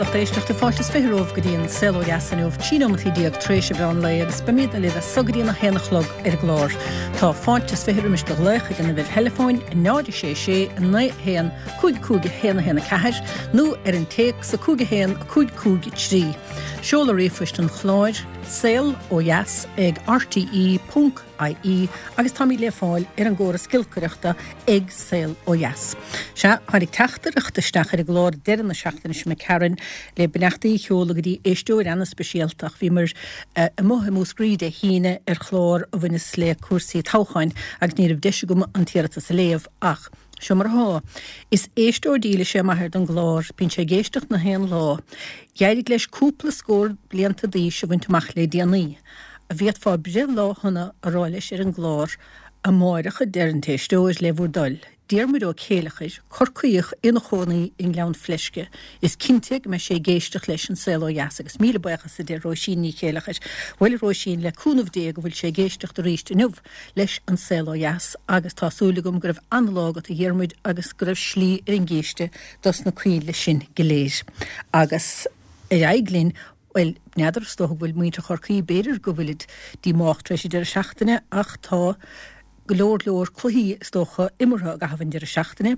lucht éisteachta, fáilte is 20 romhaibh go dtí an Saol Ó Dheas inniu, 13 nóimeataí tar éis an mheán lae agus beimidne libh as so go dtí an 1 a chlog ar an gclár. Tá fáilte is 20 roimis do ghlaoch ag an uimhir theileafóin 0 6 6 9 1 5 5 1 1 4 nó ar an téacs 5 1 5 5 3. Seoladh ríomhphoist an chláir, saol ó dheas ag rte. ie agus táimid le fáil ar an gcóras giolcaireachta ag Saol Ó Dheas. Sea, tháinig teachtaireacht isteach ar an gclár deireadh na seachtaine seo imigh tharainn le beannachtaí a sheoladh go dtí éisteoir ana-speisialta ach bhíomar amuigh i Múscraí Dé hAoine ar chlár a bhaineas le cúrsaí toghcháin agus ní raibh deis agam an t-iarratas a léamh ach seo mar atá. Is éisteoir dílis é m'athair don gclár, bíonn sé ag éisteacht na haon lá. D'éirigh leis cúpla scór blianta d'aois a bhaint amach le déanaí. An bhféadfá breithlá shona a rá leis ar an gclár amáireach a deir an t-éisteoir, le bhur dtoil. Diarmuid Ó Céileachair, Corcaíoch ina chónaí i nGleann Fleisce. Is cinnte go mbeidh sé ag éisteacht leis An Saol Ó Dheas agus míle buíochas a deir Róisín Ní Chéileachair. Bhuel a Róisín, le cúnamh Dé go bhfuil sé ag éisteacht arís inniu leis An Saol Ó Dheas agus tá súil agam go raibh an-lá agat a Dhiarmuid agus go raibh slí ar an gcíste dos na coinnle sin go léir. Agus ar aghaidh linn Bhuel, n'fheadar, is dócha go bhfuil muintir Chorcaí, b'fhéidir go bhfuilid díomách tar éis an deireadh seachtaine ach tá go leor leor cluichí, is dócha, imeartha i gcaitheamh an deireadh seachtaine.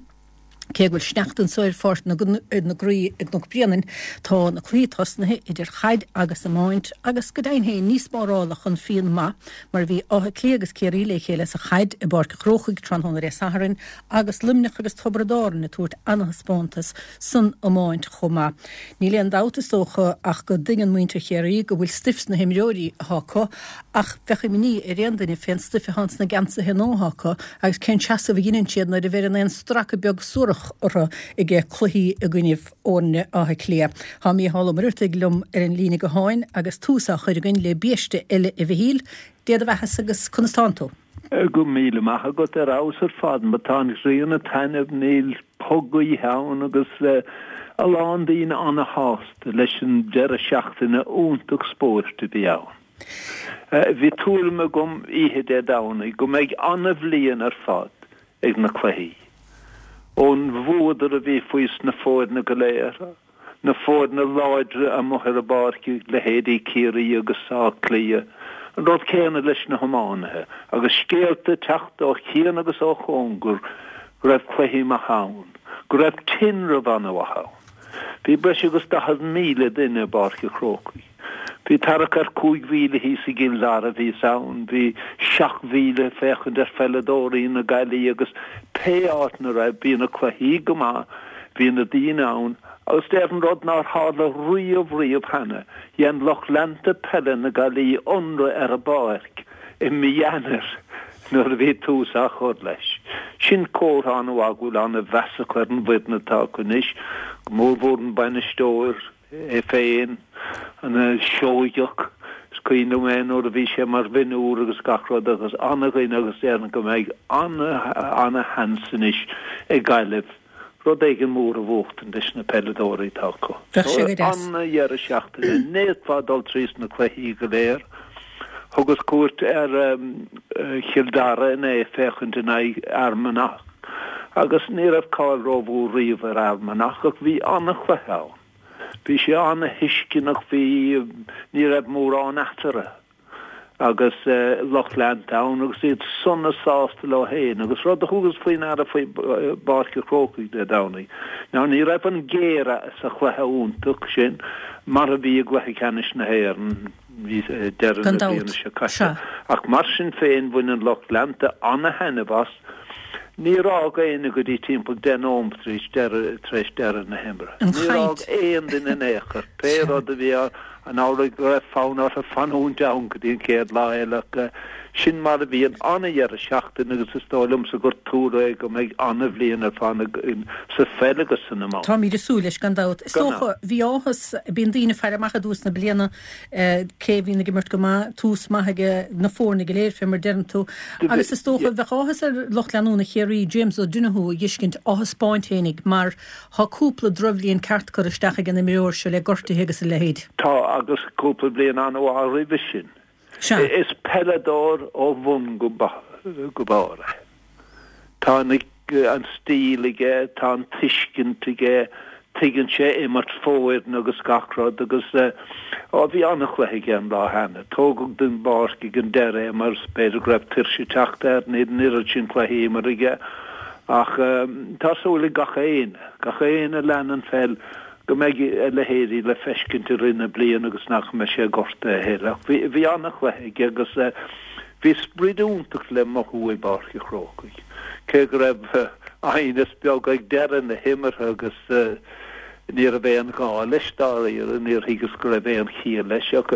Cé go bhfuil sneachta anso ar Pháirc na gCroí i gCnoc Bréanainn, tá na cluichí tosnaithe idir chaid agus iomáint agus go deimhin féin ní spárálfadh an fíon maith mar bhí Áth Cliath agus Ciarraí le chéile sa chaid i bPáirc an Chrócaigh tráthnóna Dé Sathairn agus Luimneach agus Tiobraid Árann ag tabhairt ana-thaispeántas san iomáint chomh maith. Níl aon dabht, is dócha, ach go dtuigeann muintir Chiarraí go bhfuil stuif sna himreoirí atá acu ach bheadh imní ar aon duine fén stuif atá ins na geansaithe nua atá acu agus cén seasamh a dheineann siad nuair a bheireann aon stracadh beag suarach orthu ag cluichí i gcoinnibh fhoirne Átha Cliath. Tá Mícheál Ó Muircheartaigh liom ar an líne gutháin agus tús á chur againn le biaiste eile a Mhichíl. Dé do bheathasa agus conas tánn tú? Go raibh míle maith agat, ar fheabhas ar fad. Má tá an ghrian ag taitneamh níl puth gaoithe ann agus a lán daoine ana-shásta leis an deireadh seachtaine iontach spóirt a bhí ann. Bhí tuairim agam oíche Dé Domhnaigh go mbeidh ana-bhliain ar fad ag na cluichí. Ón bhfuadar a bhí faoi sna foirne go léir, na foirne láidre amuigh ar an bpáirc, leithéidí Ciarraí agus Áth Cliath, an rud céanna leis na hiománaithe, agus scéalta ag teacht ó chian agus ó chóngar go raibh cluichí maithe ann, go raibh tinreamh an-mhaith ann. Bhí breis agus 40,000 duine i bPáirc an Chrócaigh. Bhí tarrac ar 5,000 thíos i gCill Dara, bhíos ann, bhí 7,000 ag féachaint ar pheileadóirí na Gaillimhe agus pé áit 'na raibh, bhí na cluichí go maith, bhí na daoine ann agus déarfainn rud nár tharla riamh riamh cheana, dhein lucht leanta peile na Gaillimhe ionradh ar an bpáirc i mí Eanáir nuair a bhí tús á chur leis. Sin comhartha an-mhaith go bhfuil an-mheas acu ar an bhfoireann atá acu anois, go mórmhór an bainisteoir, é féin, an Seoigeach, is cuimhin liom é nuair a bhí sé mar mhionúr agus gach rud agus ana-dhuine agus déarfainn go mbeidh ana-ana-sheans anois ag Gaillimh rud éigin mór a bhuachtaint leis na peileadóirí atá acu. Bheadh sé go deas. Ana-dheireadh seachtaine, ní fhéadfá dul tríos na cluichí go léir. Thugas cuairt ar Chill Dara inné féachaint in aghaidh Fhear Manach agus ní raibh cáil rómhór riamh ar Fhear Manach ach bhí ana-chluiche ann. Bhí sé ana-thuisceanach, bhí, ní raibh mórán eatarthu agus lucht leanta ann agus iad sona sásta leo féin agus rud a thugas faoi ndeara faoi bPáirc an Chrócaigh Dé Domhnaigh ná ní raibh an géire sa chluiche iontach sin mar a bhí i gcluiche ceannais na hÉireann deireadh Gan na dabht. bliana seo caite. Sea. Ach mar sin féin bhain an lucht leanta ana-thaitneamh as. Níor fhág éinne go dtí timpeall 10 nóimeat tar éis deireadh tar éis deireadh na himeartha. An Níor fhág chaint. aon duine in aon chor. Pé Sea. rud a bhí ann, an amhlaidh go raibh fonn orthu fanúint ann go dtí an chéad lá eile ach sin mar a bhí an ana-dheireadh seachtaine agus is dóigh liomsa gur tuar é go mbeidh ana-bhliain ar fad againn sa pheil agus san iomáint. Táimid ag súil leis gan dabht. Is Gan dócha, dabht. bhí áthas, bíonn daoine ag faire amach i dtús na bliana cé a bhíonn ag imirt go maith, tús maith ag na foirne go léir, fé mar deireann tú. Agus is dócha, bheadh áthas ar lucht leanúna Chiarraí James O'Donoghue a dh'fheiscint á thaispeáint fhéinig mar thá cúpla drochbhliain ceart curtha isteach ag an imreoir seo le gortuithe agus a leithéid. Tá, agus cúpla bliain an-mhaith roimhe sin. Sea. Is peileadóir ó bhun go barr é. Tá an stíl aige, tá an tuiscint aige, Tuigeann sé imirt foirne agus gach rud agus á bhí an-chluiche aige an lá cheana. Tógadh den bpáirc ag an deireadh é mar b'fhéidir go raibh tuirse ag teacht air, níl an oiread sin cluichí imeartha aige ach tá súil ag gach éinne, gach éinne a lean an pheil go mbeidh a leithéidí le feiscint i rith na bliana agus nach mbeidh sé gortaithe a thuilleadh. Ach bhí, bhí an-chluiche aige agus bhí sprid iontach le mothú i bPáirc an Chrócaigh, cé go raibh aighneas beag ag deireadh na himeartha agus ní raibh aon ghá leis dáiríre, níor thuigeas go raibh aon chiall leis. Ach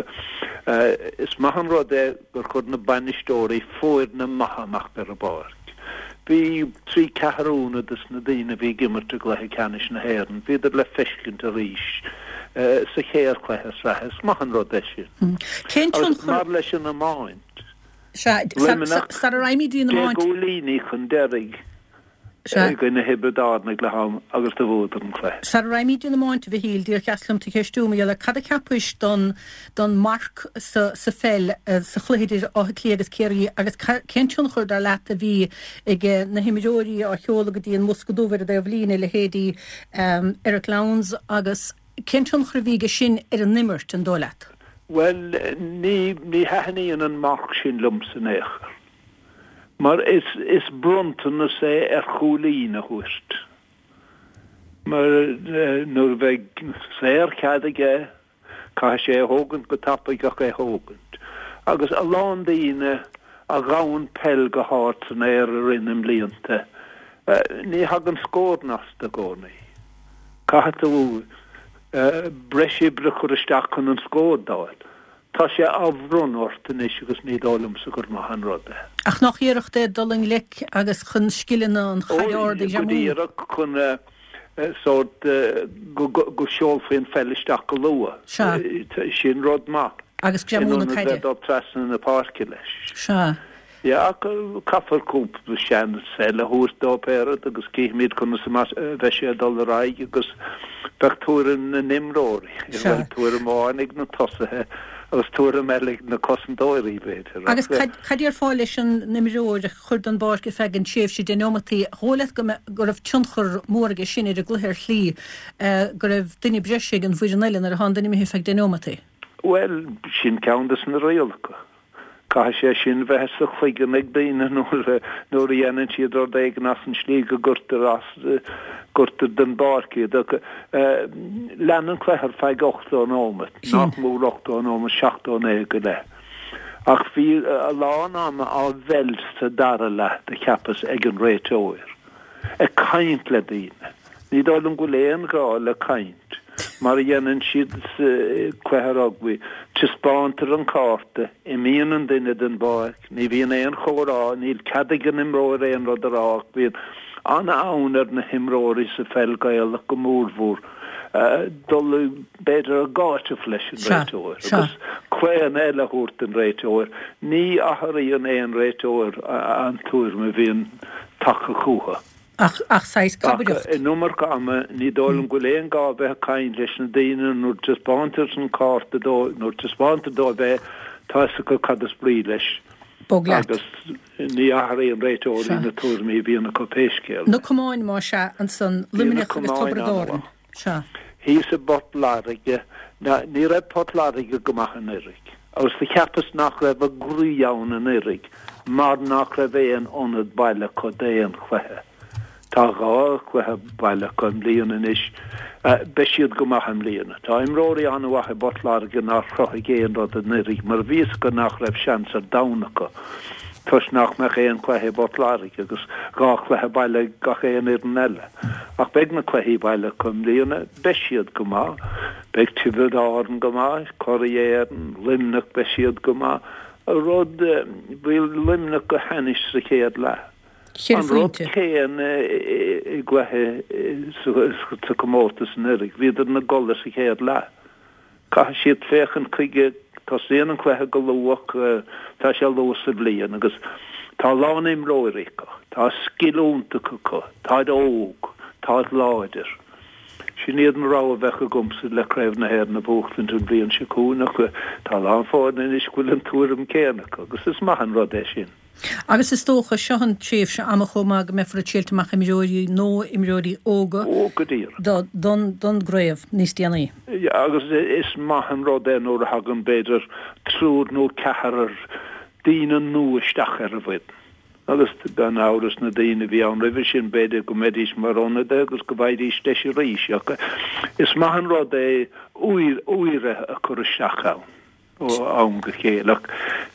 is maith an rud é gur chuir na bainisteoirí foirne maithe amach ar an bpáirc. Bhí trí ceathrúna des na daoine a bhí ag imirt i gcluiche ceannais na hÉireann, bhíodar le feiscint arís sa chéad chluiche sraithe. Is maith an rud é sin. Cén Agus tionchar. mar leis an iomáint, Sea, Luimneach, sara raghaimid dtí an deich iomáint. gcúilíní chun deiridh. Sea. i gcoinne Thiobraid Árann ag leath am agus do bhuadar an cluiche. Sara raghaimid dtí an iomáint, a Mhichíl, díreach deas liom tú a cheistiú, mar gheall ar cad a cheapais don don marc sa sa pheil sa chluiche idir Áth Cliath agus Ciarraí agus cén tionchar dar leat a bhí ag na himreoirí á sheoladh go dtí an mbosca dubh ar an dtaobh líne, leithéidí Eric Lowndes agus cén tionchar a bhí aige sin ar an imirt, an dóigh leat? Bhuel, ní ní thaitníonn an marc sin liomsa in aon chor. Mar is is bronntanas é ar chúilín a thabhairt. Mar nuair a bheidh saorchead aige, caithfidh sé é a thógaint go tapaidh ach é a thógaint. Agus a lán daoine a ghabhann peil go hard san aer i rith na mblianta, ní thagann scóranna astu i gcónaí. Caithfidh tú breis oibre a chur isteach chun an scór d'fháil. Tá sé á bhronnadh ort anois agus ní dóigh liomsa gur maith an rud é. Ach nach iarracht é dul i ngleic agus chun scileanna an chaid ard a Ó, go ghreamú? díreach, chun sórt go seolfaí an pheil isteach go luath. Sea. Sin rud maith. Agus greamú In na ionad caide. bheith dul trasna na páirce leis. Sea. Yeah, ach caithfear cúpla seans eile a thabhairt dó pé rud agus cífimid conas a bheidh sé ag dul ar aghaidh agus bheadh tuairim na n-imreoirí, bhuel tuairim amháin ag na tosaithe agus tuairim eile ag na cosantóirí b'fhéidir. Agus cad a déarfá leis an imreoir a chur den bpáirc ar feadh an tréimhse deich neomataí, dhóigh leat go go raibh tionchar mór aige sin ar an gcluiche ar shlí go raibh duine breise ag an bhfoireann eile nuair atá an duine imithe ar feadh deich neomataí? Bhuel, sin ceann des na rialacha. Caithfidh sé sin bheith sa chloigeann ag daoine nuair a nuair a dhéanann siad rud éigin as an slí go gcuirtear as, gcuirtear den bpáirc iad. Ach lean an cluiche ar feadh 80 nóimeat, nach mór 80 nóimeat, 79 go leith. Ach bhí a lán ama á mheilt sa dara leath, do cheapas, ag an réiteoir. Ag caint le daoine. Ní dóigh liom go bhfuil aon ghá le caint, mar a dhéanann siad sa cluiche rugbaí. Taispeántar an cárta, imíonn an duine den bpáirc, ní bhíonn aon chomhrá, níl cead ag an imreoir aon rud a rá ach bíonn an-fhonn ar na himreoirí sa pheil Ghaelach go mórmhór dul b'fhéidir ag áiteamh leis an réiteoir agus claonadh eile a thabhairt don réiteoir. Ní athraíonn aon réiteoir an tuairim a bhíonn tagtha chucu. Ach, ach saghas Ach cabaireacht. an iomarca ama, ní dóigh liom go bhfuil aon gá bheith ag caint leis na daoine nuair taispeántar an cárta dóibh, nuair taispeántar dóibh é, tá fhios acu cad is brí leis. Bog leat. Agus ní athraíonn réiteoirí Sea. na tuairimí a bhíonn acu pé scéal Na é. camáin, más ea, ansan, Bhí na Luimneach agus camáin Tiobraid Árann. an-mhaith. Sea. Thíos i bPort Láirge, ná, ní raibh Port Láirge go maith anuraidh. Agus do cheapas nach raibh a gcroí ann anuraidh mar nach raibh aon ionad baile acu d'aon chluiche. Tá dhá chluiche baile acu i mbliana anois. Beidh siad go maith i mbliana. Tá imreoirí an-mhaith i bPort Láirge nár chruthaigh aon rud anuraidh mar bhí fhios acu nach raibh seans ar domhan acu toisc nach mbeadh aon chluiche i bPort Láirge agus dhá chluiche baile ag gach aon fhoireann eile. Ach beidh na cluichí baile acu i mbliana. Beidh siad go maith. Beidh Tiobraid Árann go maith, curaidh Éireann, Luimneach, beidh siad go maith. Rud, bhí Luimneach go hainnis sa chéad leath. Cheithre An rud phointe. céanna i gcluiche sa chomórtas anuraidh, bhíodar ina gcodladh sa chéad leath. Caithfidh siad féachaint chuige, tosaíonn an cluiche go luath, tá sé luath sa bhliain agus tá a lán imreoirí acu, tá scil iontach acu, táid óg, táid láidir. Sin iad an rogha a bheadh agamsa le Craobh na hÉireann a bhuachtaint an bhliain seo chugainn ach tá a lán foirne anois go bhfuil an tuairim céanna acu agus is maith an rud é sin. Agus is dócha, seo an tréimhse ama chomh maith go mbeifear ag triailt amach imreoirí nó imreoirí óga Ó, go díreach. don gcraobh níos déanaí. Agus is maith an rud é nuair a thagann b'fhéidir triúr nó ceathrar daoine nua isteach ar an bhfoireann. Agus gan amhras na daoine a bhí ann roimhe sin b'fhéidir go mbeidís mar ionadaithe agus go bhfaighidís deis arís. Ach is maith an rud é úire a chur isteach ann ó am go chéile. Ach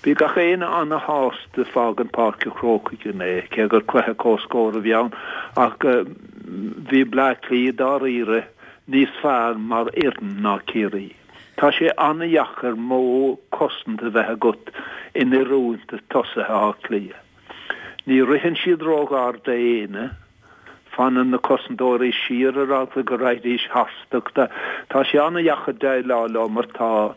bhí gach éinne ana-shásta fágaint Páirc an Chrócaigh inné, cé gur cluiche comhscóir a bhí ann. Ach bhí Bleá Cliath dáiríre níos fearr mar fhoireann ná Ciarraí. Tá sé an-dheacair modh cosanta a bheith agat in oiriúint do tosaithe Átha Cliath. Ní ritheann siad róghar d'éinne, fanann na cosantóirí siar ar eagla go raghaidís tharstu. Tá sé an-dheacair déileáil leo mar tá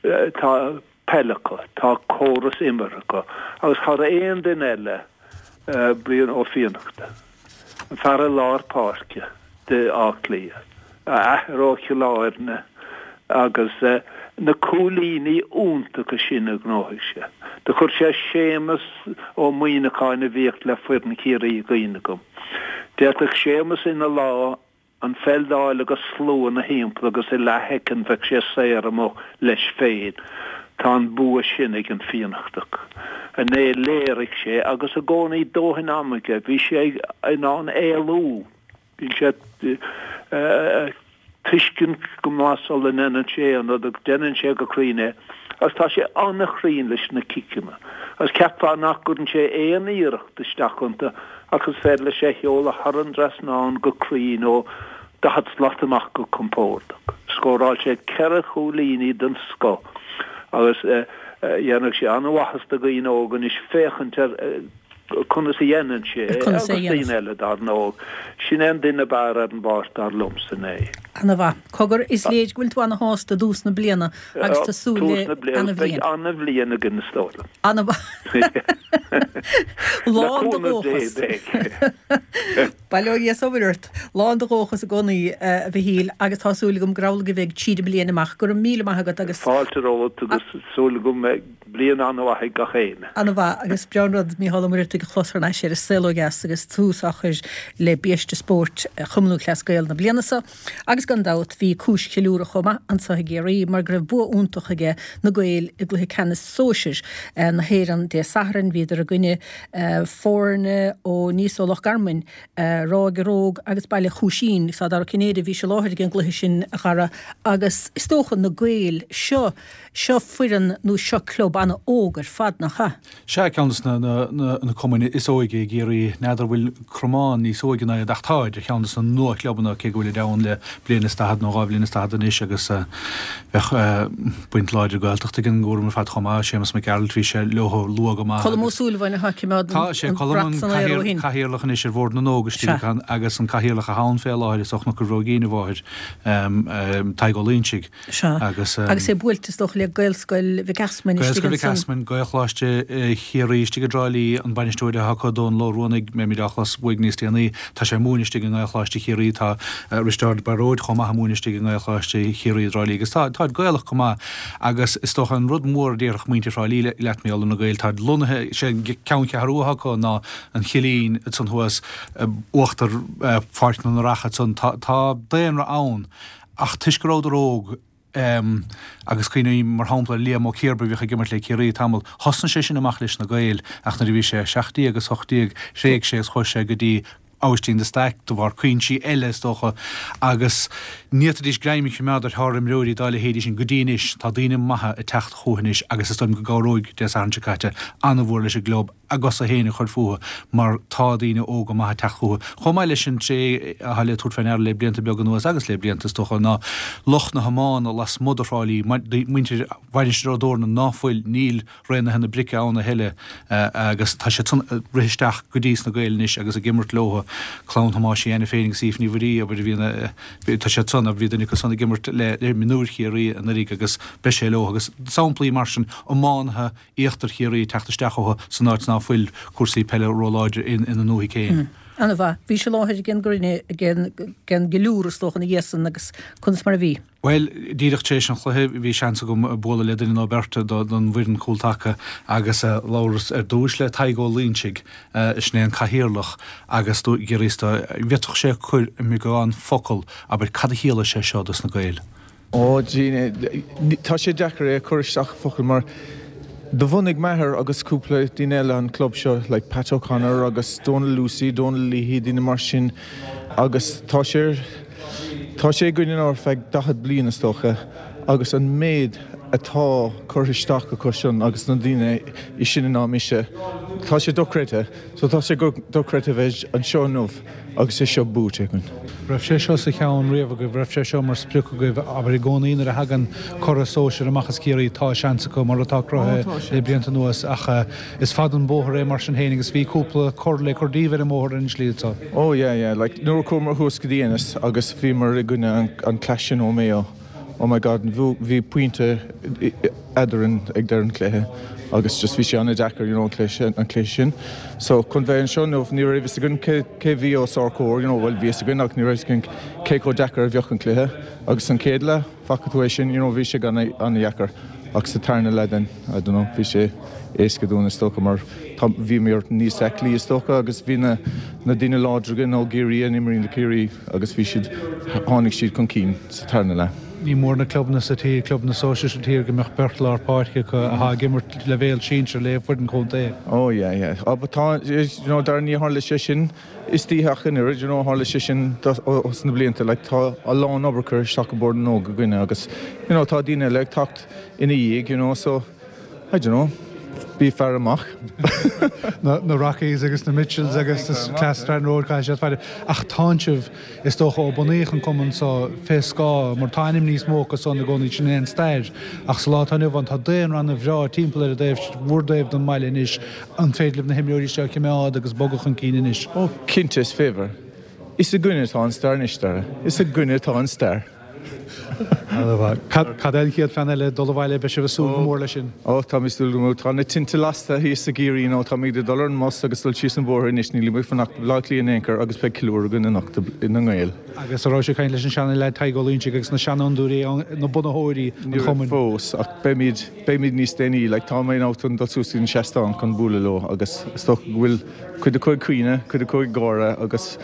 tá peil acu, tá córas imeartha acu agus thar aon duine eile, Brian Ó Fiannachta, an fear i lár páirce d'Áth Cliath, a athair ó Chill Airne agus na cúilíní iontacha sin a ghnóthaigh sé. Do chuir sé Séamus Ó Muíneacháin a bhíodh le foireann Chiarraí i gcuimhne dhom. D'fhéadfadh Séamus ina lá an pheil d'fháil agus slua ina thimpeall agus i leathshoicind bheadh sé saor amuigh leis féin. Tá an bua sin ag an Fiannachtach. Inné léirigh sé, agus i gcónaí dóthain ama aige, bhí sé in ann éalú. Bíonn sé ag tuiscint go maith sula ndéanann sé aon rud agus déanann sé go cruinn é. Agus tá sé an-chruinn leis na ciceanna. Agus cheapfá nach gcuireann sé aon iarracht isteach iontu ach is féidir leis é a sheoladh thar an dtrasnán go cruinn ó 40 slat amach go compordach. Scóráil sé ceithre chúilíní den scoth agus dhéanfadh sé an-mhaitheas do dhaoine óga anois féachaint ar conas a dhéanann sé é agus daoine eile dar ndóigh. Sin é an duine ab fhearr ar an bpáirc dar liomsa inné. Ana-mhaith. Cogar, is léir go bhfuil tú ana-shásta i dtús na bliana agus tá súil le ana-bhliain. Beidh ana-bhliain againn is dóigh liom. Ana-mhaith. Lán de dhóchas. Bail ó Dhia is ó Mhuire ort. Lán de dhóchas i gcónaí, a Mhichíl, agus tá súil agam gur amhlaidh a bheidh tríd an mbliain amach. Go raibh míle maith agat agus. Fáilte romhat agus súil agam go mbeidh bliain an-mhaith ag gach éinne. An-mhaith, agus breá an rud Mícheál Ó Muircheartaigh a chlos thar n-ais ar An Saol Ó Dheas agus tús á chur le Biaiste Spóirt Chumann Lúthchleas Gael na bliana seo. Agus gan dabht bhí cúis cheiliúradh chomh maith anso i gCiarraí mar go raibh bua iontach aige na Gaeil i gcluiche ceannais sóisir na hÉireann Dé Sathairn. Bhíodar i gcoinne foirne ó níos ó Loch Garman, Ráth Gearóg agus Baile Chúisín. Tá Dara Ó Cinnéide, bhís i láthair ag an gcluiche sin a Dhara agus is dócha na Gaeil seo, seo foireann nó seo club ana-óg ar fad, nach ea? Sea, ceann de na cumainn is óige i gCiarraí. N'fheadar bhfuil Cromán níos óige ná iad ach táid ar cheann de na nua-chlubanna cé go bhfuilid ann le bliain is daichead nó dhá bhliain is daichead anois agus bheadh baint láidir Gaeltachta ag an gcúram ar fad chomh maith. Séamus Mac Gearailt, bhí sé leo luath go maith agus. Colm Ó Súilleabháin atá ag coimeád an brat san aer ó shin. Tá sé, Colm an cathaoirleach anois ar Bhord na nÓg istigh agus an cathaoirleach atá ann fé láthair is ó Chnoc an Bhróigín a mháthair, Tadhg Ó Loingsigh. Sea. Agus é buailte is dócha le Gaelscoil Mhic Easmainn istigh ansan. Gaelscoil Mhic Easmainn, Gaelcholáiste Chiarraí istigh i dTrá Lí, an bainisteoir atá acu, Dónal Ó Ruanaigh, mbeimid á chlos uaidh níos déanaí, tá sé ag múineadh istigh i nGaelcholáiste Chiarraí, tá Risteárd Bairóid chomh maith ag múineadh istigh i nGaelcholáiste Chiarraí i dTrá Lí agus tá, táid Gaelach go maith agus is dócha an rud mór a déarfadh muintir Thrá Lí leat mar gheall ar na Gaeil, táid lonnaithe, sé an ceanncheathrú atá acu ná an Chillín ansan thuas, uachtar Pháirc na nDreach ansan, tá, tá daonra ann. Ach toisc go rabhadar óg, agus cuimhním mar shampla ar Liam Ó Ciarba a bhíodh ag imirt le Ciarraí tamall, thosnaigh sé sin amach leis na Gaeil ach nuair a bhí sé 17 agus 18 thréig sé agus chuaigh sé go dtí Aibhistín de Staic de bharr cuinsí eile is dócha agus ní fhéadfaidís greim a choimeád ar shár-imreoirí dá leithéidí sin go dtí anois. Tá daoine maithe ag teacht chucu anois agus is dóigh liom go gcabhróidh Dé Sathairn seo caite an-mhór leis an gclub a gcosa féin a chur fúthu mar tá daoine óga maithe ag teacht chucu. Chomh maith leis an tréith atá le tabhairt fé ndeara le blianta beaga anuas agus le blianta is dócha ná lucht na hiomána lasmuigh de Thrá Lí, muintir Mhainistir Ó dTorna ná fuil, níl Raonaithe na Brice ann a thuilleadh agus tá siad san ag rith isteach go dtí sna Gaeil anois agus ag imirt leo. Clann Thomáis Uí Ainiféin agus Aoife Ní Mhuirí, abair, a bhí tá siad san, bhí duine acu san ag imirt le mionúir Chiarraí anuraidh agus beidh sé leo agus samplaí mar sin, iománaithe Íochtar Chiarraí ag teacht isteach chucu san áit ná fuil cúrsaí peile róláidir ina ndúthaigh féin. Ana-mhaith. Bhís i láthair ag an gcruinniú, ag an gceiliúradh is dócha ina dhiaidh san agus conas mar a bhí? Bhuel, díreach tar éis an chluiche bhí seans agam bualadh le duine nó beirt don bhfoireann cúltaca agus labhras ar dtúis le Tadhg Ó Loingsigh, sin é an cathaoirleach, agus d'fhiafraíos de an bhféadfadh sé cur i mbeagán focal, abair, cad a chiallaigh sé seo dos na Gaeil. Ó, tá sé deacair é a chur isteach i bhfocail mar do bhunaigh m'athair agus cúpla duine eile an club seo, like Pat O'Connor agus Donal Lucey, Donal Leahy, daoine mar sin agus tá sé, tá sé againn anois ar feadh 40 bliain is dócha agus an méid atá curtha isteach acu sin agus na daoine is sine ná mise, tá sé dochreidte. So tá sé dochreidte bheith anseo inniu agus é seo buaite againn. Raibh sé seo sa cheann riamh agaibh, raibh sé seo mar sprioc agaibh, abair i gcónaí nuair a thagann curaidh sóisir amach as Ciarraí tá seans acu mar atá cruthaithe le blianta anuas ach is fada an bóthar é mar sin féin agus bhí cúpla cor le cur díobh ar an mbóthar ar an slí seo. Oh yeah yeah like nuair a chuamar thuas go dtí Ennis agus bhíomar i gcoinne an clash sin ó Mayo oh my God bhí pointe eadrainn ag deireadh an chluiche agus just bhí sé an-deacair you know an cluiche an cluiche sin. So chun bheith anseo inniu ní raibh fhios againn cé cé bhí os ár comhair you know bhuel bhí fhios againn ach ní raibh fhios againn cé chomh deacair a bheadh an cluiche agus an chéad leath faca tú é sin you know bhí sé an-dheacair ach sa tarna leath then I don't know bhí sé éasca dúinn is dócha mar tá bhíomar níos aclaí is dócha agus bhí na na daoine láidre againn ó gCiarraí a imríonn le Ciarraí agus bhí siad tháinig siad chun cinn sa tarna leath. Ní mór na clubanna sa tír, clubanna sóisir sa tír, go mbeadh beirt lár páirce acu atá ag imirt leibhéal sinsir le foireann chontae. Oh yeah, yeah. Oh but tá, you know, Darragh, ní tharla sé sin istoíche ach an oiread, you know, tharla sé sin ós na blianta, like tá a lán obair curtha isteach i Bord na nÓg againne agus, you know, tá daoine eile ag teacht ina dhiaidh, you know, so I don't know, bí faire amach. Na Rockies agus na Mitchells agus na Strand Road caithfidh siad faire. Ach tánn sibh, is dócha ó bunaíodh an cumann so, fé scáth, mar tá ainm níos mó acu san i gcónaí, sin é an stair. Ach sa lá atá inniu ann tá daonra ana-bhreá timpeall ar an dtaobh, bhur dtaobh den mbaile anois. An féidir libh na himreoirí seo a choimeád agus bogadh chun cinn anois? Ó, cinnte is féidir. Is againne atá an stair anois, Dara. Is againne atá an stair. Cad é an chéad phlean eile? Dul abhaile, beidh sibh ag súil go mór leis sin. Ó, táimid ag súil go mór. Tá na tinte lasta thíos i gCiarraí nó táimid ag dul ar an mbus agus dul síos an bóthar anois, nílimid ag fanacht i Baile Átha Cliath in aon chor agus beidh ceiliúradh againn anocht na nGael. Agus an raibh sibh ag caint leis an seana-leaid Tadhg Ó Loingsigh agus na seanfhondúirí, na bunaitheoirí an Ní raibh chumainn? fós ach beimid, beimid níos déanaí. Like, tá mé in chun dul suas go dtí an seastán chun bualadh leo agus is dócha go bhfuil cuid acu ag caoineadh, cuid acu ag gáire agus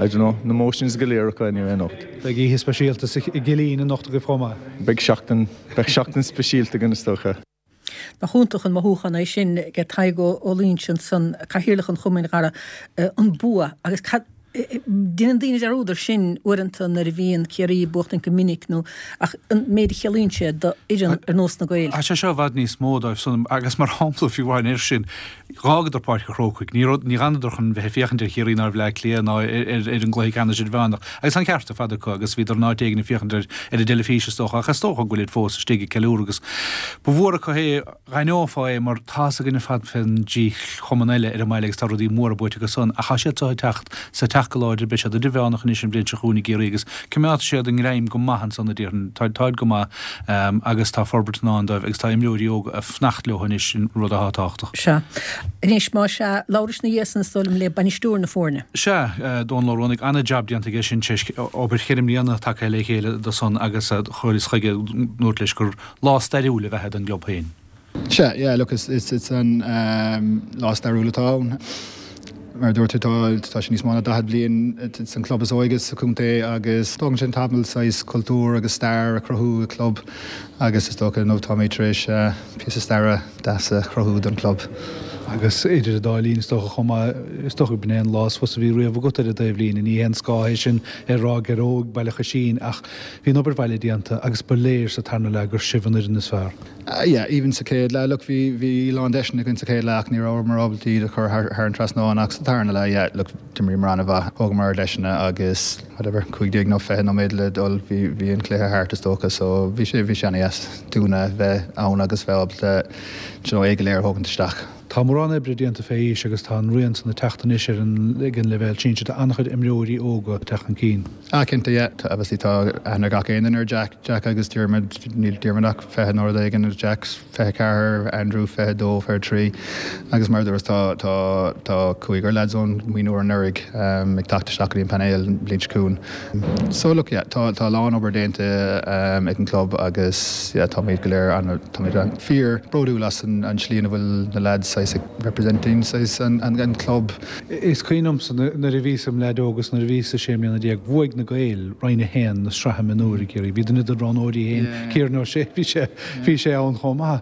I don't know, na emotions go léir acu anyway anocht. Beidh oíche speisialta sa gCillín anocht agaibh chomh maith. Beidh seachtain, beidh seachtain speisialta againn is dócha. Nach iontach an mothúchán é sin ag Tadhg Ó Loingsigh ansan, Cathaoirleach an Chumainn, a Dhara, an bua agus cad, déanann daoine dearúd ar sin uaireanta nuair a bhíonn Ciarraí ag buachtaint go minic nó ach an méid a chiallaíonn sé do fhoireann ar nós na Gaeil. Tá sé seo i bhfad níos mó dóibh san agus mar shampla fiú amháin air sin, Dh'fhágadar Páirc an Chrócaigh. Ní raibh, ní dh'fhanadar chun bheith ag féachaint ar Chiarraí ná ar Bhleá Cliath ná ar ar an gcluiche ceannais idirmheánach. Agus tá an ceart ar fad acu agus bhíodar in áit éigin ag féachaint ar ar an dteilifís is dócha ach is dócha go bhfuilid fós istigh ag ceiliúradh agus ba mhór acu é, dh'aithneofá é mar tá's againn ar fad fén dtrí chumann eile ar an mbaile agus tá rudaí móra buaite acu san ach tá siad seo ag teacht 's ag teacht go láidir, beidh siad idirmheánach anois an bhliain seo chugainn i gCiarraí agus coimeádfaidh siad a ngreim go maith ansan a déarfainn. Táid, táid go maith agus tá forbairt i ndán dóibh agus tá imreoirí óga ag fanacht leo anois, sin rud atá tábhachtach. Sea. Anois, más ea, labhrais ina dhiaidh san is dóigh liom le bainisteoir na foirne. Sea, Dónal Ó Ruanaigh, an-jab déanta aige sin, tar éis obair cheithre mbliana tagtha le chéile do san agus chuireas chuige, dúirt leis gur lá stairiúil ab ea é don gclub féin. Sea, yeah, look, is, is, is an lá stairiúil atá ann. Mar a dúirt tú, tá, tá sé níos mó ná 40 bliain, it's an club is óige sa chontae agus tógann sé tamall saghas cultúr agus stair a chruthú i gclub agus is dócha inniu táimid tar éis píosa staire deas a chruthú don chlub. Agus idir an dá linn, is dócha chomh maith, is dócha go b'in é an lá is fusa a bhí riamh agat ar an taobhlíne. Ní haon scáth é sin ar Ráth Gearóg, Baile Choisín, ach bhí an obair bhaile déanta agus ba léir sa tarna leath gur sibh an fhoireann is fearr. Yeah, even sa chéad leath, look, bhí, bhí a lán deiseanna againn sa chéad leath ach ní rabhamar ábalta iad a chur thar, thar an trasnán ach sa tarna leath, yeah, look, d'imríomar an-mhaith, thógamar ár deiseanna agus whatever, 15 nó 20 nóiméad le dul, bhí, bhí an cluiche thart is dócha so bhí sé, bhí sé an-dheas dúinne bheith ann agus bheith ábalta, do you know, é go léir a thógaint isteach. Tá mórán oibre déanta fé aois agus tá an rian san ag teacht anois ar an ag an leibhéal sinsir. Tá an-chuid imreoirí óga ag teacht chun cinn. Ah cinnte, yeah. Tá, obviously tá aithne ag gach aon duine ar Jack, Jack agus Diarmuid, níl Diarmuid ach 20 nó rud éigin, Jack 24, Andrew 22, 23 agus mar a dúras tá, tá, tá cúigear lads ón mionúr anuraidh ag teacht isteach go dtí an painéal an bhliain seo chugainn. So look, yeah, tá, tá a lán obair déanta ag an gclub agus yeah táimid go léir an, táimid an fíor bródúil as an, an tslí ina bhfuil na lads saghas ag representing saghas an, an, an club. Is cuimhin liomsa nuair a bhíos im leaid óg agus nuair a bhíos sé mbliana bhuaigh na Gaeil Roinn 1 na sraithe mionúir i gCiarraí. Bhí duine de roghnóirí féin, Kieran O'Shea, bhí sé, bhí sé ann chomh maith.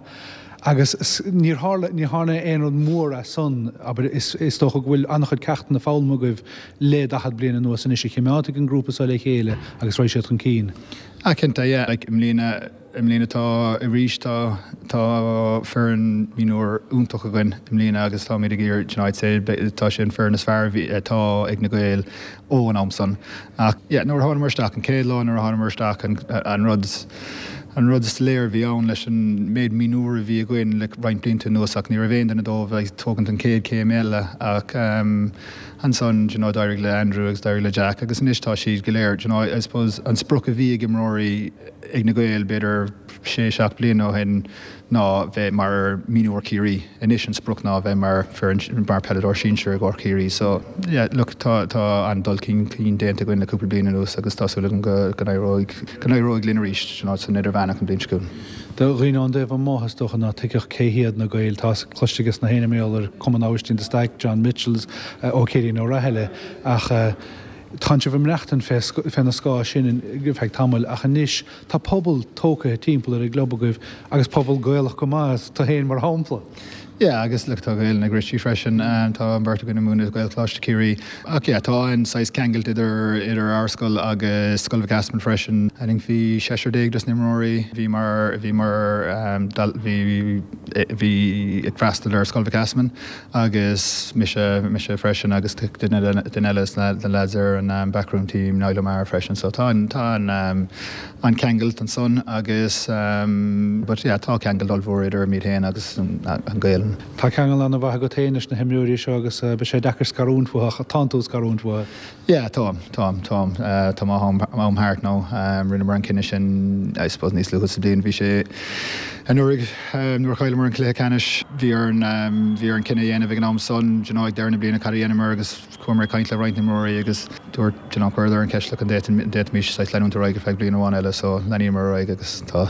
Agus níor tharla, ní tharla aon rud mór as san, abair, is, is dócha go bhfuil an-chuid ceachtanna foghlamtha agaibh le 40 bliain anuas anois a chimeádfaidh an grúpa seo le chéile agus raghaidh siad chun cinn. Ah cinnte, yeah, like i mbliana, I mbliana tá arís tá tá foireann mionúir iontach againn i mbliana agus táimid ag iarraidh you know I'd say tá sé an foireann is fearr a bhí atá ag na Gaeil ó an am san. Ach yeah nuair a thánamar isteach an chéad lá nuair a thánamar isteach an an rud an rud is léir a bhí ann leis an méid mionúir a bhí againn le roinnt blianta anuas ach ní raibh aon duine dóibh ag tógaint an chéad chéim eile ach ehm ansan you know d'éirigh le Andrew agus d'éirigh le Jack agus anois tá siad go léir you know I suppose an sprioc a bhí ag imreoirí ag na Gaeil b'fhéidir sé, seacht bliana ó shin ná bheith mar mionúr Chiarraí. Anois an sprioc ná bheith mar foireann, mar peileadóir sinsir i gcomhair Chiarraí. So yeah look tá tá an-dul chun cinn déanta againn le cúpla bliain anuas agus tá súil agam go go n-éireoidh go n-éireoidh linn arís you know san idirmheánach an bhliain seo chugainn. Do dhaoine ón dtaobh amuigh is dócha ná tuigfeadh cé hiad na Gaeil. Tá cloiste aige na héinne mar gheall ar Cumann Aibhistín de Staic, John Mitchels, ó Ciarín Ó Rathaille ach Tánn sibh ag maireachtaint fé na scáth sin ar feadh tamaill ach anois tá pobal tógtha timpeall ar an gclub agaibh agus pobal Gaelach go maith, tú féin mar shampla. Yeah agus look tá Gaelainn ag Richie freisin, tá an bheirt againn ag múineadh Gaelcholáiste Chiarraí. Ach yeah tá an saghas ceangailt idir idir ár scoil agus Scoil Mhic Easmainn freisin. I think bhí seisear déag dos na imreoirí bhí mar bhí mar bhí bhí ag freastal ar Scoil Mhic Easmainn. Agus mise, mise freisin agus duine duine eile sna lads ar an backroom team, Niall O'Meara freisin. So tá an, tá an, an ceangailt ansan agus but yeah tá ceangailt ollmhór idir muid féin agus an Ghaelainn. Tá ceangal an-mhaith agat féin leis na himreoirí seo agus beidh sé deacair scarúint uathu ach tánn tú ag scarúint uathu. Yeah, táim, táim, táim. Tá am, am thart now. Rinneamar an cinneadh sin, I suppose, níos luaithe sa bhliain. Bhí sé anuraidh nuair a chailleamar an cluiche ceannais, bhí orainn, bhí orainn cinneadh a dhéanamh ag an am san, do you know, ag deireadh na bliana cad a dhéanamar agus chuamar ag caint le roinnt imreoirí agus dúirt, do you know, chuireadar an cheist, look, an bhféadfaimis saghas leanúint ar aghaidh ar feadh bliain amháin eile so leanamar ar aghaidh agus tá,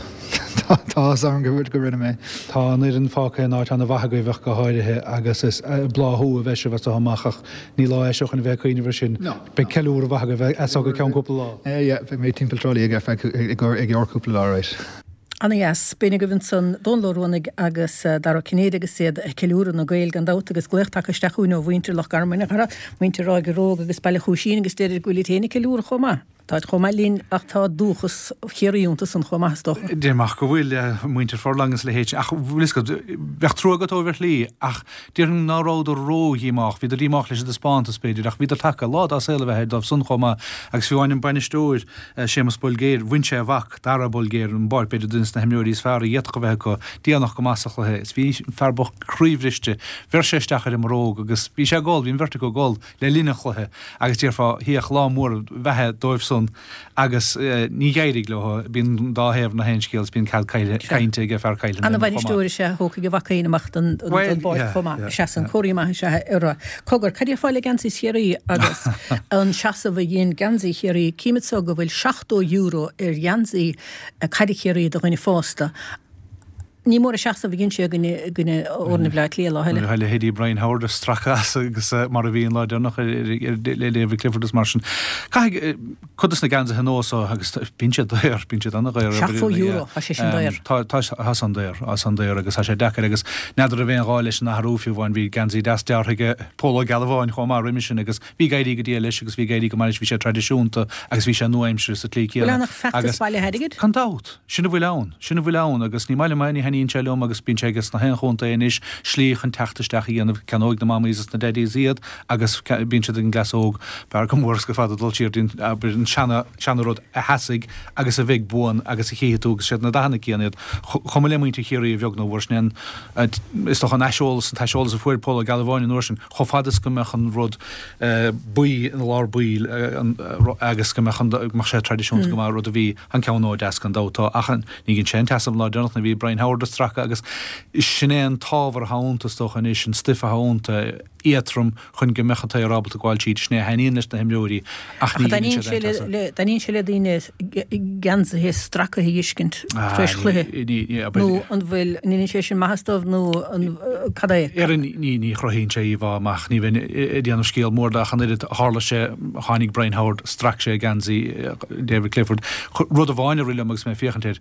tá, tá áthas orm go, go rinne mé. Tá an fhoireann fágtha in áit an-mhaith agaibh ach go háirithe agus is ag bláthú a bheidh sibh as seo amach ach Ní lá é seo chun a bheith ag cuimhneamh air sin. Beidh ceiliúradh mhaith agaibh as seo go ceann cúpla lá. Yeah, beidh mé timpeall Trá Lí ar feadh i gceann cúpla lá, right. Ana dheas. B'in agaibh ansan Dónal Ó Ruanaigh agus Dara Ó Cinnéide agus iad ag ceiliúradh na Gaeil gan dabht agus glaoch tagtha isteach chugainn ó mhuintir Loch Garman, a chara, muintir Ráige Ruadh agus Baile Chúisín agus deir go bhfuilid féin ag ceiliúradh chomh maith. Táid chomh maith linn ach tá dúchas Chiarraí iontu san chomh maith is dócha. Déarfainn go bhfuil, muintir Furlong agus a leithéid sin, ach bhfuil fhios agat, bheadh trua agat dóibh ar shlí, ach déarfainn ná rabhadar ró-dhíomách, bhíodar díomách leis an dtaispeántas, b'fhéidir, ach bhíodar tagtha, lá dá saol a bheith air dóibh san chomh maith, agus fiú amháin an bainisteoir, Séamus Bolgéir, bhain sé a mhac, Dara Bolgéir, ón bpáirc, b'fhéidir duine des na himreoirí is fearr a d'fhéadfadh a bheith acu, déanach go maith sa chluiche, is bhí an fear bocht croíbhriste, bheir sé isteach ar an mbróg agus bhí sé ag gol, bhí an bheirt acu ag gol. le linn an chluiche agus déarfá théadh lá mór beatha dóibh san agus ní d'éirigh leo. Bíonn an dá thaobh na haon scéal is bíonn cead cainte ag fear Cill Ana bhainisteoir is ea a thógfaidh a mhac féin amach den bpáirc chomh maith. Sea san comhartha maith is ea é. Cogar, cad déarfá le geansaí Chiarraí agus an seasamh a dhein geansaí Chiarraí? Cím anso go bhfuil €70 ar gheansaí caide Chiarraí do dhuine fásta. Ní mór an seasamh a dhein sé i gcoinne fhoirne Bhaile Átha Cliath lá eile. Nuair a leithéidí Brian Howard ag stracadh as agus mar a bhí an lá deireanach le David Clifford is mar sin. Caithfidh cuid de na geansaithe nua so agus bíonn siad daor, bíonn siad an-dhaor. €70, tá sé sin daor. Tá, tá, tá san daor, tá san daor agus tá sé deacair agus n'fheadar an raibh aon ghá leis an athrú fiú amháin bhí geansaí deas deartha aige Pól Ó Gealbháin chomh maith roimhe sin agus bhí ag éirí go diail leis agus bhí ag éirí go maith leis, bhí sé traidisiúnta agus bhí sé nua-aimseartha sa tslí chéanna. Bhfuil ann ach feachtas bailithe airgid? Gan dabht! Sin a bhfuil ann. Sin a bhfuil ann agus ní maith liom é, ní. thaitníonn sé liom agus bíonn sé aige sna haon chontae anois, slí chun teacht isteach a dhéanamh, ceannóidh na mamaís is na daidís iad agus bíonn siad ag an gcleas óg. B'fhearr go mór is go fada dul siar dtí an seana, seana rud a sheasfaidh agus a bheidh buan agus a chífidh tú agus siad na dathanna céanna iad. Chomh maith le muintir Chiarraí a bheag nó a mhór, sin é an, is dócha an aiseolas, an t-aiseolas a fuair Pól Ó Gealbháin an uair sin, chomh fada is go mbeadh an rud buí ina lár baill agus go mbeadh an, go mbeadh sé traidisiúnta go maith, rud a bhí an ceann ó deas gan dabht. Tá, ach ní dhein sé an tseasamh an lá deireanach nuair a bhí Brian Howard ag stracadh agus sin é an t-ábhar atá iontu is dócha anois, an stuif atá iontu, éadtrom chun go mbeadh an t-aer ábalta gabháil tríd. Sin é a thaitníonn leis na himreoirí ach ní dheineann siad aon tseasamh. Taitníonn sé le daoine geansaithe stracaithe a fheiscint tar éis chluiche nó an bhfuil, an ndéanann sé sin maitheas dóibh nó cad é? Ní chruthaíonn sé íomhá amach, ní bheinn ag déanamh scéal mór de ach an oiread. Tharla sé, tháinig Brian Howard, strac sé geansaí David Clifford. Rud amháin a rith liom agus mé ag féachaint air,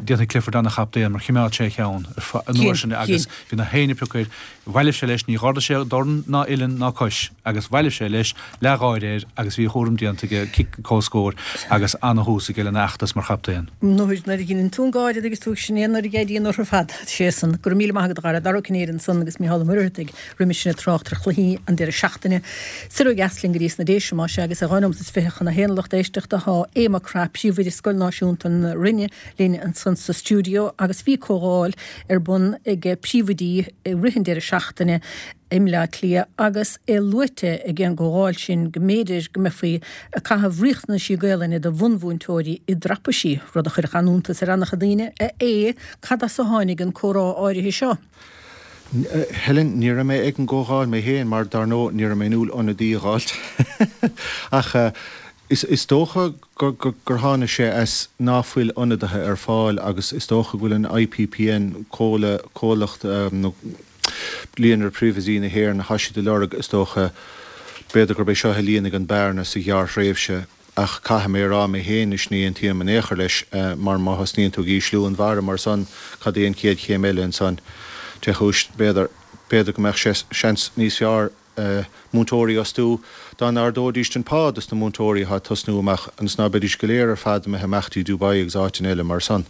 Déanfaidh Clifford ana-chaptaen mar chimeád sé a cheann an uair sin agus bhí na héinne ag piocadh air. Bhailigh sé leis, ní dh'ardaigh sé dorn ná uillinn ná cois agus bhailigh sé leis, leathgháire air agus bhí a chúram déanta aige, cic comhscóir agus ana-thús aige lena fheachtas mar chaptaen. Nuair a dheineann tú an gáire agus tú ag sin é nuair a éiríonn orthu ar fad. Sé san. Go raibh míle maith agat a Dhara. Dara Ó Cinnéide ansan agus Mícheál Ó Muircheartaigh roimis sin ag trácht ar chluichí an deireadh seachtaine. Soir ó dheas linn go dtí sna Déise más ea agus é 12 nóiméad chun a haon a lucht éisteachta tá Aodh Mac Craith, Príomhoide Scoil Náisiúnta na Rinne linn ansan sa stiúideo agus bhí comhdháil ar bun ag príomhoidí i rith an deireadh seachtaine i mBleá Cliath agus é luaite ag an gcomhdháil sin go mb'fhéidir go mbeifí ag caitheamh riachtanaisí Gaelainne do bhunmhúinteoirí i dtraipisí, rud a chuirfeadh an-iontas ar an-chuid daoine. A Aodh, cad as a tháinig an comhrá áirithe seo? Helen, Ní raibh mé ag an gcomhdháil mé féin mar dar ndóigh ní raibh mé inniúil ionadaí a dh'fháilt. Ach is dócha gur tháinig sé as ná fuil ionadaithe ar fáil agus is dócha go bhfuil an IPPN, comhlacht nó Líonra Príomhoidí na hÉireann, thá siad ag lorg is dócha, b'fhéidir gurb é seo a líonfaidh an bearna sa ghearrthréimhse. Ach caithfidh mé a rá mé féin anois, ní aontaím in aon chor leis, mar má thosnaíonn tú ag ísliú an bharra mar san, cad é an chéad chéim eile ansan? Dé chúis, b'fhéidir, b'fhéidir go mbeadh sé seans níos fearr múinteoirí a fhostú dá n-ardóidíst an pá dos na múinteoirí atá ag tosnú amach ionas ná beidís go léir ar fad imithe amach dtí Dubai agus áiteanna eile mar san.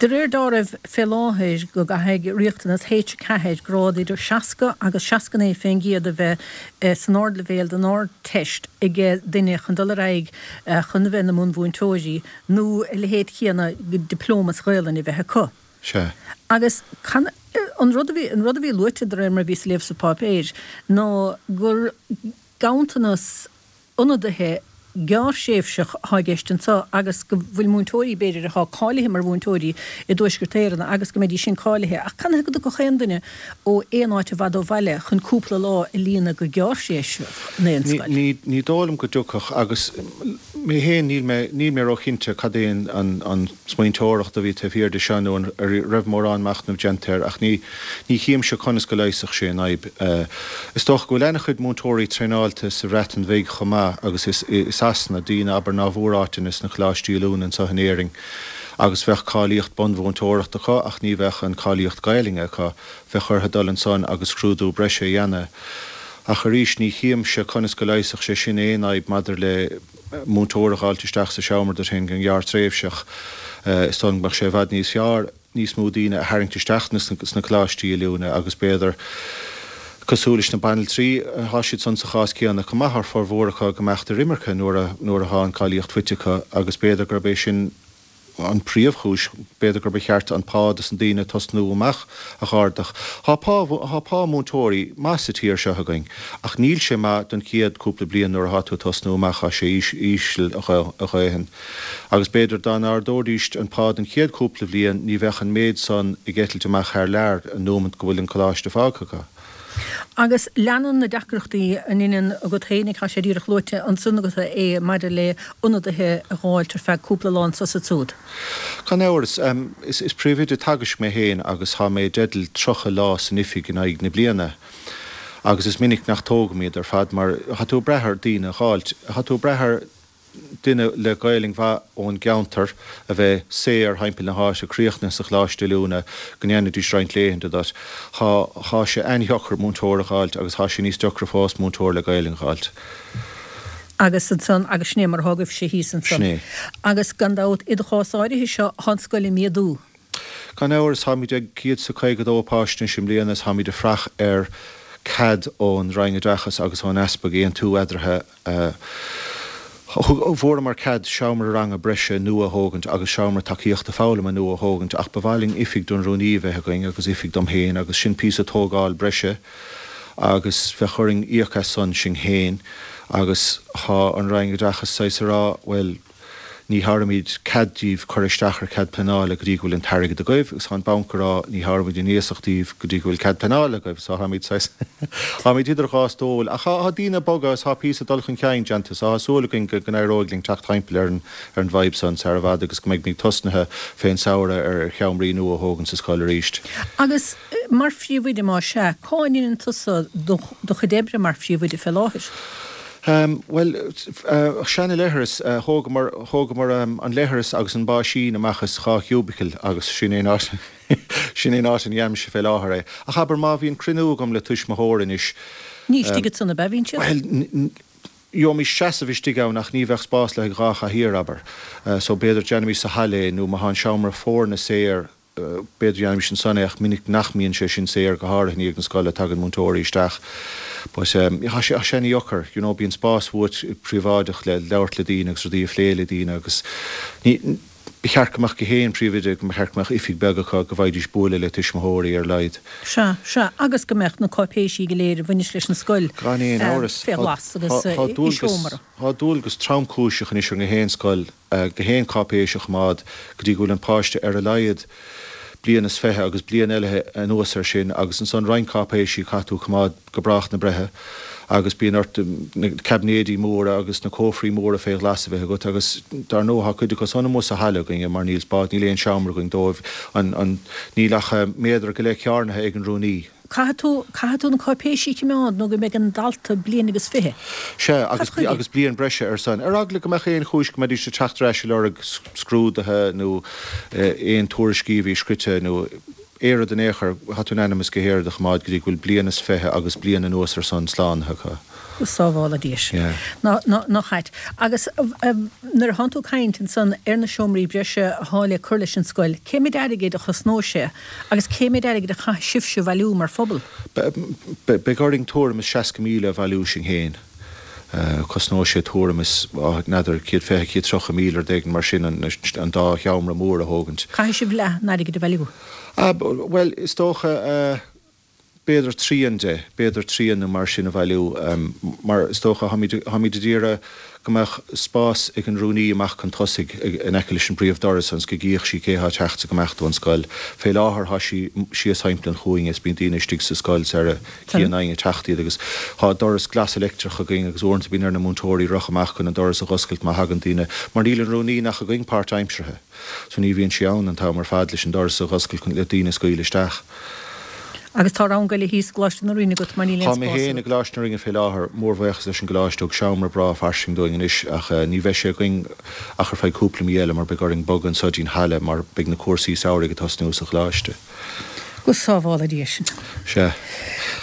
De réir dealraimh fé láthair go gcaithfidh riachtanas H4, grád idir 60 agus 69% a bheith san ardleibhéal den Ardteist ag duine chun dul ar aghaidh chun a bheith ina mbunmhúinteoirí nó a leithéid chéanna dioplóma sa Ghaelainn a bheith acu. Sea. Agus an rud a bhí, an rud a bhí luaite de réir mar a bhíos ag léamh sa pháipéir ná gur ganntanas ionadaithe gearrthréimhseach atá i gceist anseo agus go bhfuil múinteoirí, b'fhéidir, atá cáilithe mar mhúinteoirí i dTuaisceart Éireann agus go mbeidís sin cáilithe. Ach canathaobh go dtiocfadh aon duine ó aon áit i bhfad ó bhaile chun cúpla lá a líonadh go gearrthréimhseach in aon scoil? Ní dóigh liom go dtiocfadh agus mé féin níl mé, níl mé róchinnte cad é an smaointeoireacht a bhí taobh thiar de seo nó an raibh mórán machnaimh déanta air ach ní, Ní chímse conas go leigheasfadh sé an fhadhb. Is dócha go bhfuil ana-chuid múinteoirí traenáilte sa Bhreatain Bhig chomh maith agus i Sasana, daoine, abair, ná bhfuair áiteanna sna coláistí oiliúna anso in Éirinn agus bheadh cáilíocht bunmhúinteoireachta acu ach ní bheadh an cáilíocht Gaelainne acu. Bheadh orthu dul ansan agus scrúdú breise a dhéanamh. Ach arís, ní chímse conas go leigheasfadh sé sin aon fhadhb maidir le múinteoir a dh'fháilt isteach sa seomra duit féin go gearrtréimhseach. Is dóigh liom go mbeadh sé i bhfad níos fearr. níos mó daoine a tharraingt isteach sna coláistí oiliúna agus b'fhéidir, cosúil leis na banaltraí, thá siad san sa chás céanna chomh maith, thá formhór acu ag imeacht ar imirce nuair a nuair athá an cáilíocht faighte acu agus b'fhéidir gurb é sin an príomhchúis, b'fhéidir gur ba cheart an pá dos na daoine ag tosnú amach a dh'ardach. Thá pá thá pá múinteoirí maith sa tír seo againn ach níl sé maith don chéad cúpla bliain nuair athá tú ag tosnú amach, thá sé íseal a dhóthain. Agus b'fhéidir dá n-ardóidíst an pá don chéad chúpla bhliain ní bheadh an méid san ag eitilt amach thar lear an nóimeant go bhfuil an coláiste fágtha acu. Agus leanann na deacrachtaí an ionann agat féinig, tá sé díreach luaite ansan agat é maidir le ionadaithe a dh'fháilt ar feadh cúpla lá anso is ansúd. Gan amhras. Is príomhoide teagaisc mé féin agus tá mé i dteideal 30 lá san oifig in aghaidh na bliana. Agus is minic nach dtógaim iad ar fad mar tá tú ag brath ar daoine a dh'fháilt. Tá tú ag brath ar. duine le Gaelainn mhaith ón gceantar a bheith saor thimpeall na háite, críochnaithe sa choláiste oiliúna, go ndéanfaidís roinnt laethanta duit. Thá, thá sé an-deacair múinteoir a dh'fháilt agus thá sé níos deacra fós múinteoir le Gaelainn a dh'fháilt. Agus ansan, agus sin é mar athá agaibhse thíos ansan. Sin é. Agus gan dabht, i do chás áirithe seo, thá an scoil ag méadú. Gan amhras, táimid ag 152 páiste anois i mbliana is táimid ag fraoch ar cead ón Roinn Oideachais agus ón Easpag aontú eadarthu. Fuaireamar cead seomra ranga breise nua a thógaint agus seomra tacaíochta foghlama nua a thógaint ach ba mhaith linn oifig don rúnaí a bheith againn agus oifig dom féin agus sin píosa tógáil breise agus bheadh orainn íoc as san sinn féin agus thá an Roinn Oideachais saghas a rá bhuel Ní thabharfaimid cead díbh cur isteach ar chead pleanála go dtí go bhfuil an t-airgead agaibh agus tá an banc ag rá ní thabharfaimid an iasacht díbh go dtí go bhfuil cead pleanála agaibh so táimid saghas táimid idir dhá stól ach tá daoine ag bogadh agus tá píosa dul chun cinn déanta so tá súil againn go n-éireoidh linn teacht thimpeall ar an ar an bhfadhb san sar i bhfad agus go mbeidh muid tosnaithe fén samhradh ar sheomraí nua a thógaint sa scoil arís. Agus mar phríomhoide más ea, cá ndeineann tusa do chuid oibre mar phríomhoide fé láthair? Bhuel, seana leithreas, thógamar, thógamar an leithreas agus an báisín amach as 2 chiúbicle agus sin é an áit, sin é an áit a ndéanaimse fé láthair é. Ach abair má bhíonn cruinniú agam le tuismitheoir anois. Ní istigh ansan ab ea a bhíonn siad? Bhuel, gheobhaimis seasamh istigh ann ach ní bheadh spás le haghaidh 2 chathaoir, abair. So b'fhéidir déanaimis sa halla é nó má thá an seomra foirne saor, B'fhéidir dhéanfaimis ansan é ach minic nach mbíonn sé sin saor, go háirithe i ndiaidh na scoile, tagann múinteoirí isteach. But tá sé, tá sé ana-dheacair, you know, bíonn spás uait príobháideach le labhairt le daoine agus rudaí a phlé le daoine agus ní, ba cheart go mbeadh gach aon príomhoide, go mba cheart go mbeadh oifig beag acu go bhfaighidís bualadh le tuismitheoirí ar a laghad. Sea, sea, agus go mbeadh na cáipéisí go léir a bhaineas leis an scoil Gan aon amhras, fé ghlas agus tá i dualgas, seomra. tá dualgas tromchúiseach anois ar gach aon scoil, gach aon cáipéis a choimeád go dtí go bhfuil an páiste ar a laghad bliain is 20 agus bliain eile anuas air sin agus ansan roinnt cáipéisí caithfidh tú a choimeád go brách na breithe agus bíonn ort na caibnéidí móra agus na cófraí móra fé ghlas a bheith agat agus dar ndóigh tá cuid acu san amuigh sa halla againne mar níl spás, níl aon seomra againn dóibh, an, an, níl ach méadar go leith cearnaithe ag an rúnaí. Caithfidh tú, caithfidh tú na cáipéisí a choimeád nó go mbeidh an dalta bliain agus 20. Sea, agus, Cad chuige? agus bliain breise air san. Ar eagla go mbeadh aon chúis go mbeidís ag teacht ar ais ag lorg scrúduithe nó aon tuairiscí a bhí scrite nó aon rud in aon chor, tá tú in ainm is gach aon rud a choimeád go dtí go bhfuil bliain is 20 agus bliain anuas air san slánaithe acu. Go sábhála Dia sinn. Yeah. Ná, ná, nach ait. Agus nuair atánn tú ag caint ansan ar na seomraí breise athá le cur leis an scoil, cé méid airgid a chosnóidh sé agus cé méid airgid a chaithfidh sibhse a bhailiú mar phobal? Beidh orainn tuairim is 60,000 a bhailiú sinn féin. Cosnóidh sé tuairim is, n'fheadar, 120, 130,000 rud éigin mar sin an dá sheomra mór a thógaint. Caithfidh sibh leath an airgid a bhailiú. Bhuel, is dócha, b'fhéidir trian de, b'fhéidir trian nó mar sin a bhailiú, mar is dócha, táimid, táimid ag iarraidh go mbeadh spás ag an rúnaí amach chun tosaigh in aice leis an bpríomhdoras ionas go gcífeadh sí cé thá ag teacht is ag imeacht ón scoil. Fé láthair thá sí síos thimpeall an chúinne is bíonn daoine istigh sa scoil sara gcíonn éinne ag teacht iad agus thá doras glas leictreach againn agus uaireanta bíonn ar na múinteoirí rith amach chun an doras a dh'oscailt má thagann daoine mar níl an rúnaí ach againn páirtaimseartha. So ní bhíonn sí ann an t-am ar fad leis an doras a dh'oscailt chun le daoine a scaoileadh isteach. Agus tá rang eile thíos i gColáiste na Rinne agat mar níl aon Tá mé spás féin i agat. gColáiste na Rinne fé láthair. Mórbhuíochas leis an gColáiste thug seomra breá fairsing dúinn anois ach ní bheidh sé againn ach ar feadh cúpla mí eile mar beidh orainn bogadh anso dtí'n halla mar beidh na cúrsaí samhraidh ag tosnú sa Choláiste. Go sábhála Dia sinn. Sea.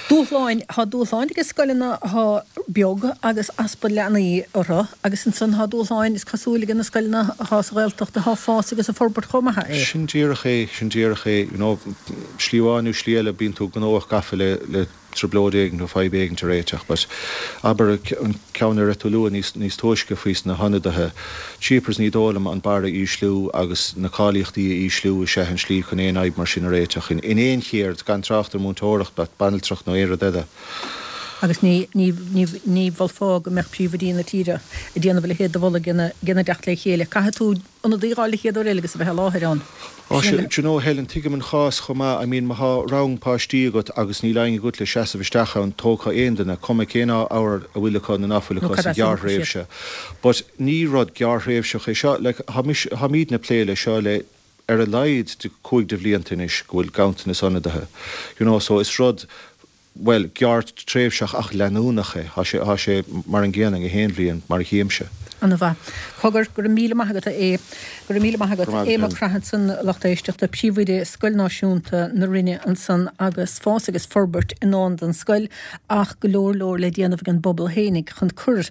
Dúshláin, Tá dúshláin ag scoileanna atá beag agus easpa leanaí orthu agus ansan tá dúshláin, is cosúil, ag na scoileanna atá sa Ghaeltacht atá ag fás agus ag forbairt chomh maith. É. Sin díreach é, sin díreach é. You know, slí amháin nó slí eile bíonn tú gnóthach gafa le, le trioblóid éigin nó fadhb éigin a réiteach but abair an ceann a raibh tú a lua níos, níos túisce faoi sna hionadaithe, Jeepers ní dóigh liom an barra a ísliú agus na cáilíochtaí a ísliú is ea an slí chun aon fhadhb mar sin a réiteach in in aon cheird, gan trácht ar múinteoireacht, banaltracht nó aon rud eile. Agus ní, ní, ní, ní mholfá go mbeadh príomhoidí na tíre ag déanamh a leithéid de mholadh gena dteacht le chéile. Caithfidh tú ionadaí a dh'fháil an chéad uair eile agus a bheith i láthair ann. Á sea, do you know Helen, tuigim an chás chomh maith, I mean má thá rang páistí agat agus níl éinne agat le seasamh isteach ann, tógfá aon duine, cuma cén ábhar a bhfuil acu nó ná fuil Nó acu cad sa as a thiocfaidh siad. ghearrthréimhse. But ní rud gearrthréimhseach é seo, like thá mise, tháimídne ag plé le seo le ar a laghad de 5 de bhlianta anois go bhfuil ganntanas ionadaithe, you know, so is rud, bhuel, gearrthréimhseach ach leanúnach é, thá sé, thá sé mar an gcéanna gach aon bhliain mar a chímse. Ana mhaith. Cogar, go raibh míle maith agat a Aodh. Go raibh míle maith agat. Aodh Mac Craith ansan, a lucht éisteachta, Príomhoide Scoil Náisiúnta na Rinne ansan agus fás agus forbairt i ndán don scoil ach go leor leor le déanamh ag an bpobal fhéinig chun cur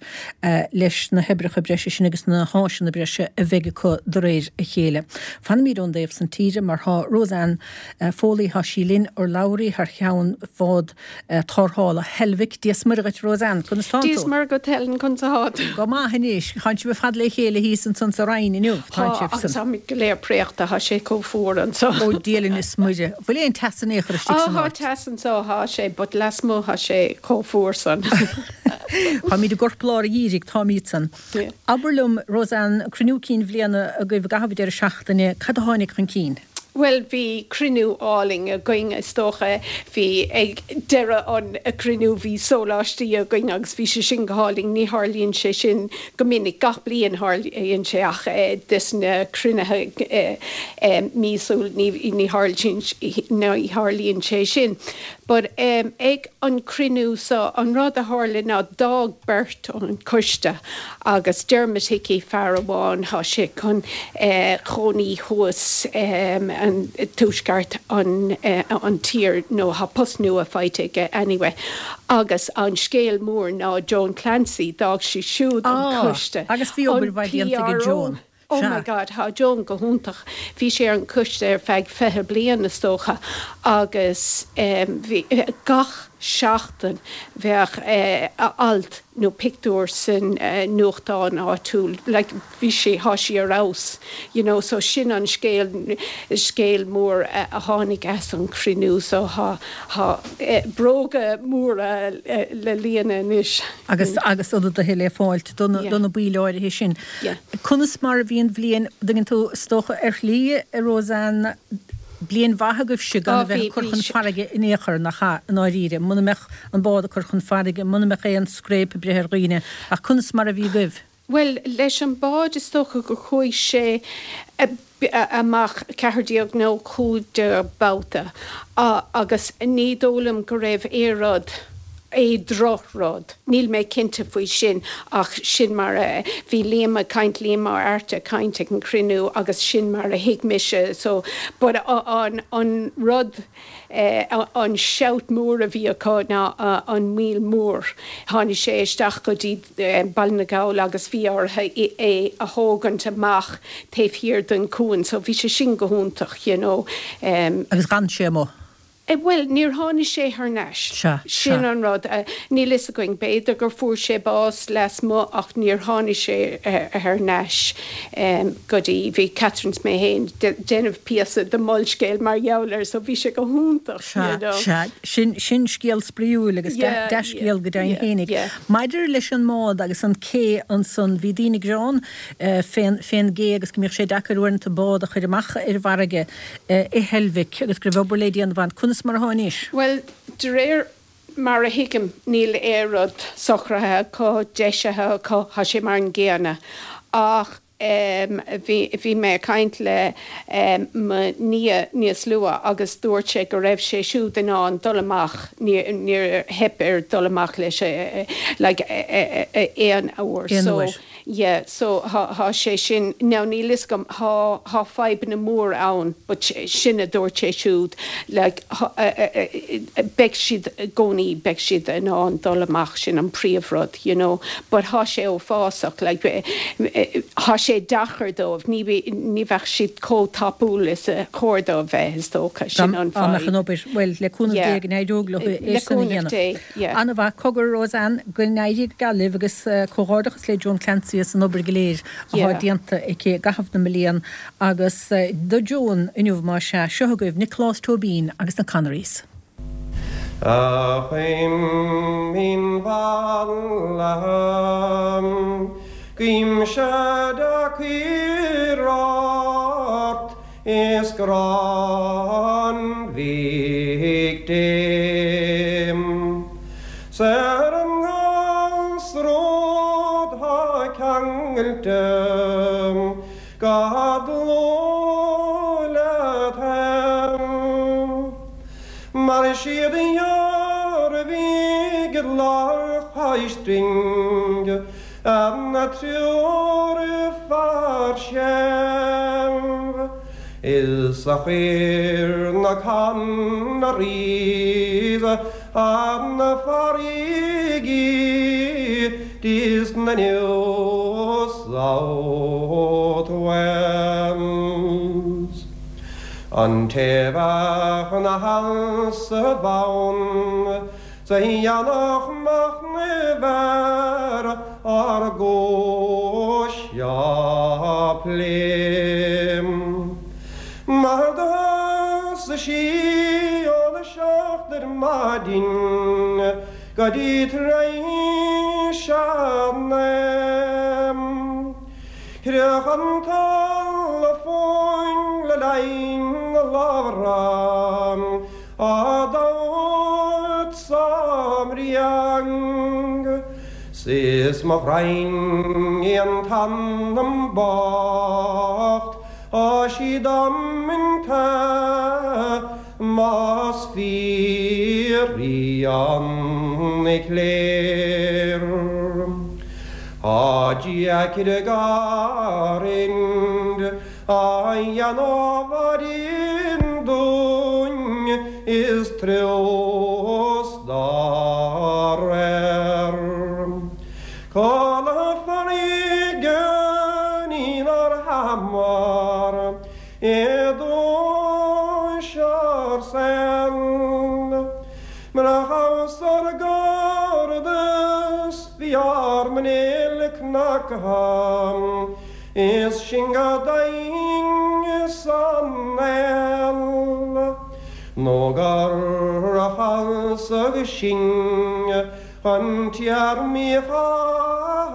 leis na hoibreacha breise sin agus na háiseanna breise a bheidh acu de réir a chéile. Fanfaimid ón dtaobh san tíre mar thá Roseanne Foley, thá sí linn, urlabhraí thar cheann bhád tarrthála Heilbhic. Dia 's Muire dhuit Roseanne, conas tánn tú? Dia 's Muire dhuit Helen, conas athá tú? Go maith anois, thánn sibh ar fad le chéile thíos ansan sa Rinn inniu, tánn sibh san. Tá, agus táimid go léir préachta, thá sé chomh fuar anso. Ó Dia linn is Muire, bhfuil aon teas in aon chor istigh san áit? Á, tá teas anso, thá sé, but lasmuigh thá sé chomh fuar san. Táimid i gcorplár an gheimhridh, táimid san. Abair liom, Roseanne, cruinniú cinn bhliana agaibh i gcaitheamh an deireadh seachtaine, cad a tháinig chun cinn? Bhuel, bhí cruinniú álainn againn, is dócha. Bhí, ag deireadh an chruinniú, bhí sóláistí againn agus bhí sé sin go hálainn. Ní tharlaíonn sé sin go minic, gach bliain tharlaíonn sé ach des na cruinnithe míosúil ní tharlaíonn sé sin. But ag an cruinniú so, an rud a tharla ná d'fhág beirt an coiste agus Dermot Hickey, fear amháin, thá sé chun chónaí thuas an tuaisceart an an tír nó thá post nua faighte aige anyway agus an scéal mór ná Joan Clancy, d'fhág sí siúd an coiste. Ah, agus bhí obair mhaith déanta ag Joan. Oh my God, thá Joan go hiontach. Bhí sí ar an gcoiste ar feadh 20 bliain is dócha agus bhí, gach seachtain bheadh alt nó pictiúr san nuachtán áitiúil, like bhí sí, thá sí ar fheabhas, you know, so sin an scéal, scéal mór a tháinig as an chruinniú so thá, thá bróga móra le líonadh anois. Agus, agus ionadaithe le fáilt do na, do na baill áirithe sin. Conas mar a bhí an bhliain, an dtuigeann tú, is dócha ar shlí, a Roseanne, bliain mhaith agaibhse gan a bheith ag cur chun farraige in aon chor, nach ea, i ndáiríre, muna mbeadh an bád ag cur chun farraige, muna mbeadh aon scréip ag breith ar dhaoine, ach conas mar a bhí agaibh? Bhuel, leis an bád is dócha gur chuaigh sé amach 14 nó 15 babhta agus ní dóigh liom go raibh aon rud, aon drochrud, níl mé cinnte faoi sin ach sin mar a, bhí Liam ag caint, Liam Ó Airt ag caint ag an chruinniú agus sin mar a thuig mise so but an, an rud, an shout mór a bhí acu ná an Míol Mór, tháinig sé isteach go dtí Baile na nGall agus bhí orthu é a thógaint amach taobh thiar den cuan so bhí sé sin go hiontach you know. Agus d'fhan sé amuigh? Bhuel, níor tháinig sé thar n-ais. Sea, Sin sea. an rud. Níl fhios againn. B'fhéidir gur fuair sé bás lasmuigh ach níor tháinig sé thar n-ais go dtí, bhí Catherine 's mé féin déanamh píosa de Molscéal mar gheall air so bhí sé go hiontach Sea, you know. sea. Sin, sin scéal spraíúil agus dea-scéal go deimhin fhéinig. Maidir leis an mbád agus an cé ansan, bhí daoine ag gearán fén, fén gcé agus go mbíodh sé deacair uaireanta bád a chur amach ar an bhfarraige i Heilbhic agus go raibh obair le déanamh ann. Conas mar athá anois? Bhuel, de réir mar a thuigim, níl aon rud socraithe acu, deisithe acu, thá sé mar an gcéanna. Ach bhí, bhí mé ag caint le mo nia níos luath agus dúirt sé go raibh sé siúd in ann dul amach, níor, níor theip air dul amach leis like aon uair. Aon So, uair. Yeah, so thá, thá sé sin, now níl fhios agam, thá, thá fadhbanna mór ann but sin a dúirt sé siúd, like beidh siad i gcónaí, beidh siad in ann dul amach, sin an príomhrud, you know, but thá sé uafásach, like thá sé deacair dóibh, ní, ní bheadh siad chomh tapúil is a chóir dóibh bheith, is dócha, Dá sin an mbeadh fadhb. an obair, bhuel, le cúnamh Dé Yeah, go n-éireodh leo é le sin a cúnamh dhéanamh. Dé, yeah. An-mhaith, cogar Roseanne, go n-éirí go geal libh agus comhghairdeachas le Joan Clancy as an obair go léir athá déanta aici i gcaitheamh na mblian agus do Joan inniu más ea, seo agaibh Nioclás Tóibín agus na Connerys. A chuimín mhallaithe, guímse deacair ort is grá an Mhic Dé. 'S ar an nGasróid thá ceangailte go dlúth leat fhéin. Mar siad a dhearbhaigh lá chois doinn. An triúr fear searbh is a chuir na Connerys an farraige dis na New South Wales. An té bheadh 'na sheasamh ann 's a dhéanfadh machnamh ar ár gcúis á plé. Mar do thosaigh sí óna seacht ar maidin go dtí tar éis a naoi. Chroch an talamh fúinn le linn na labhra. Á dtabhairt sa mbriang 's is mo ghraidhin í an t-anam bocht tá sí damanta más fíor í an chléir. Tá deacair garrind A dhéanamh orainn dúinn is triús dá réir. Codladh farraige inár theamhair i dtús ár saoil. Murach amhras ár gcairdeas bhí ár muinéal cnagtha. Is sinn go daingean san fheall nó gur chasadh sinn chun téarmaí a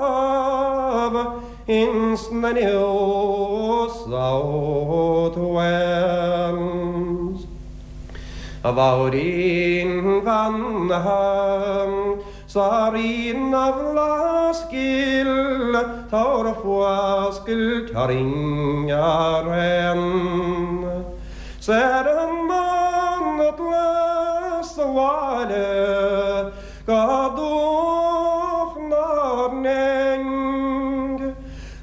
chaitheamh ins na New South Wales. A Mháirín bheannaithe 'S a Rí na bhFlaitheas gil, tabhair fuascailt orainn araon. 'S ar an mbanatlas abhaile go dumhach nár nding.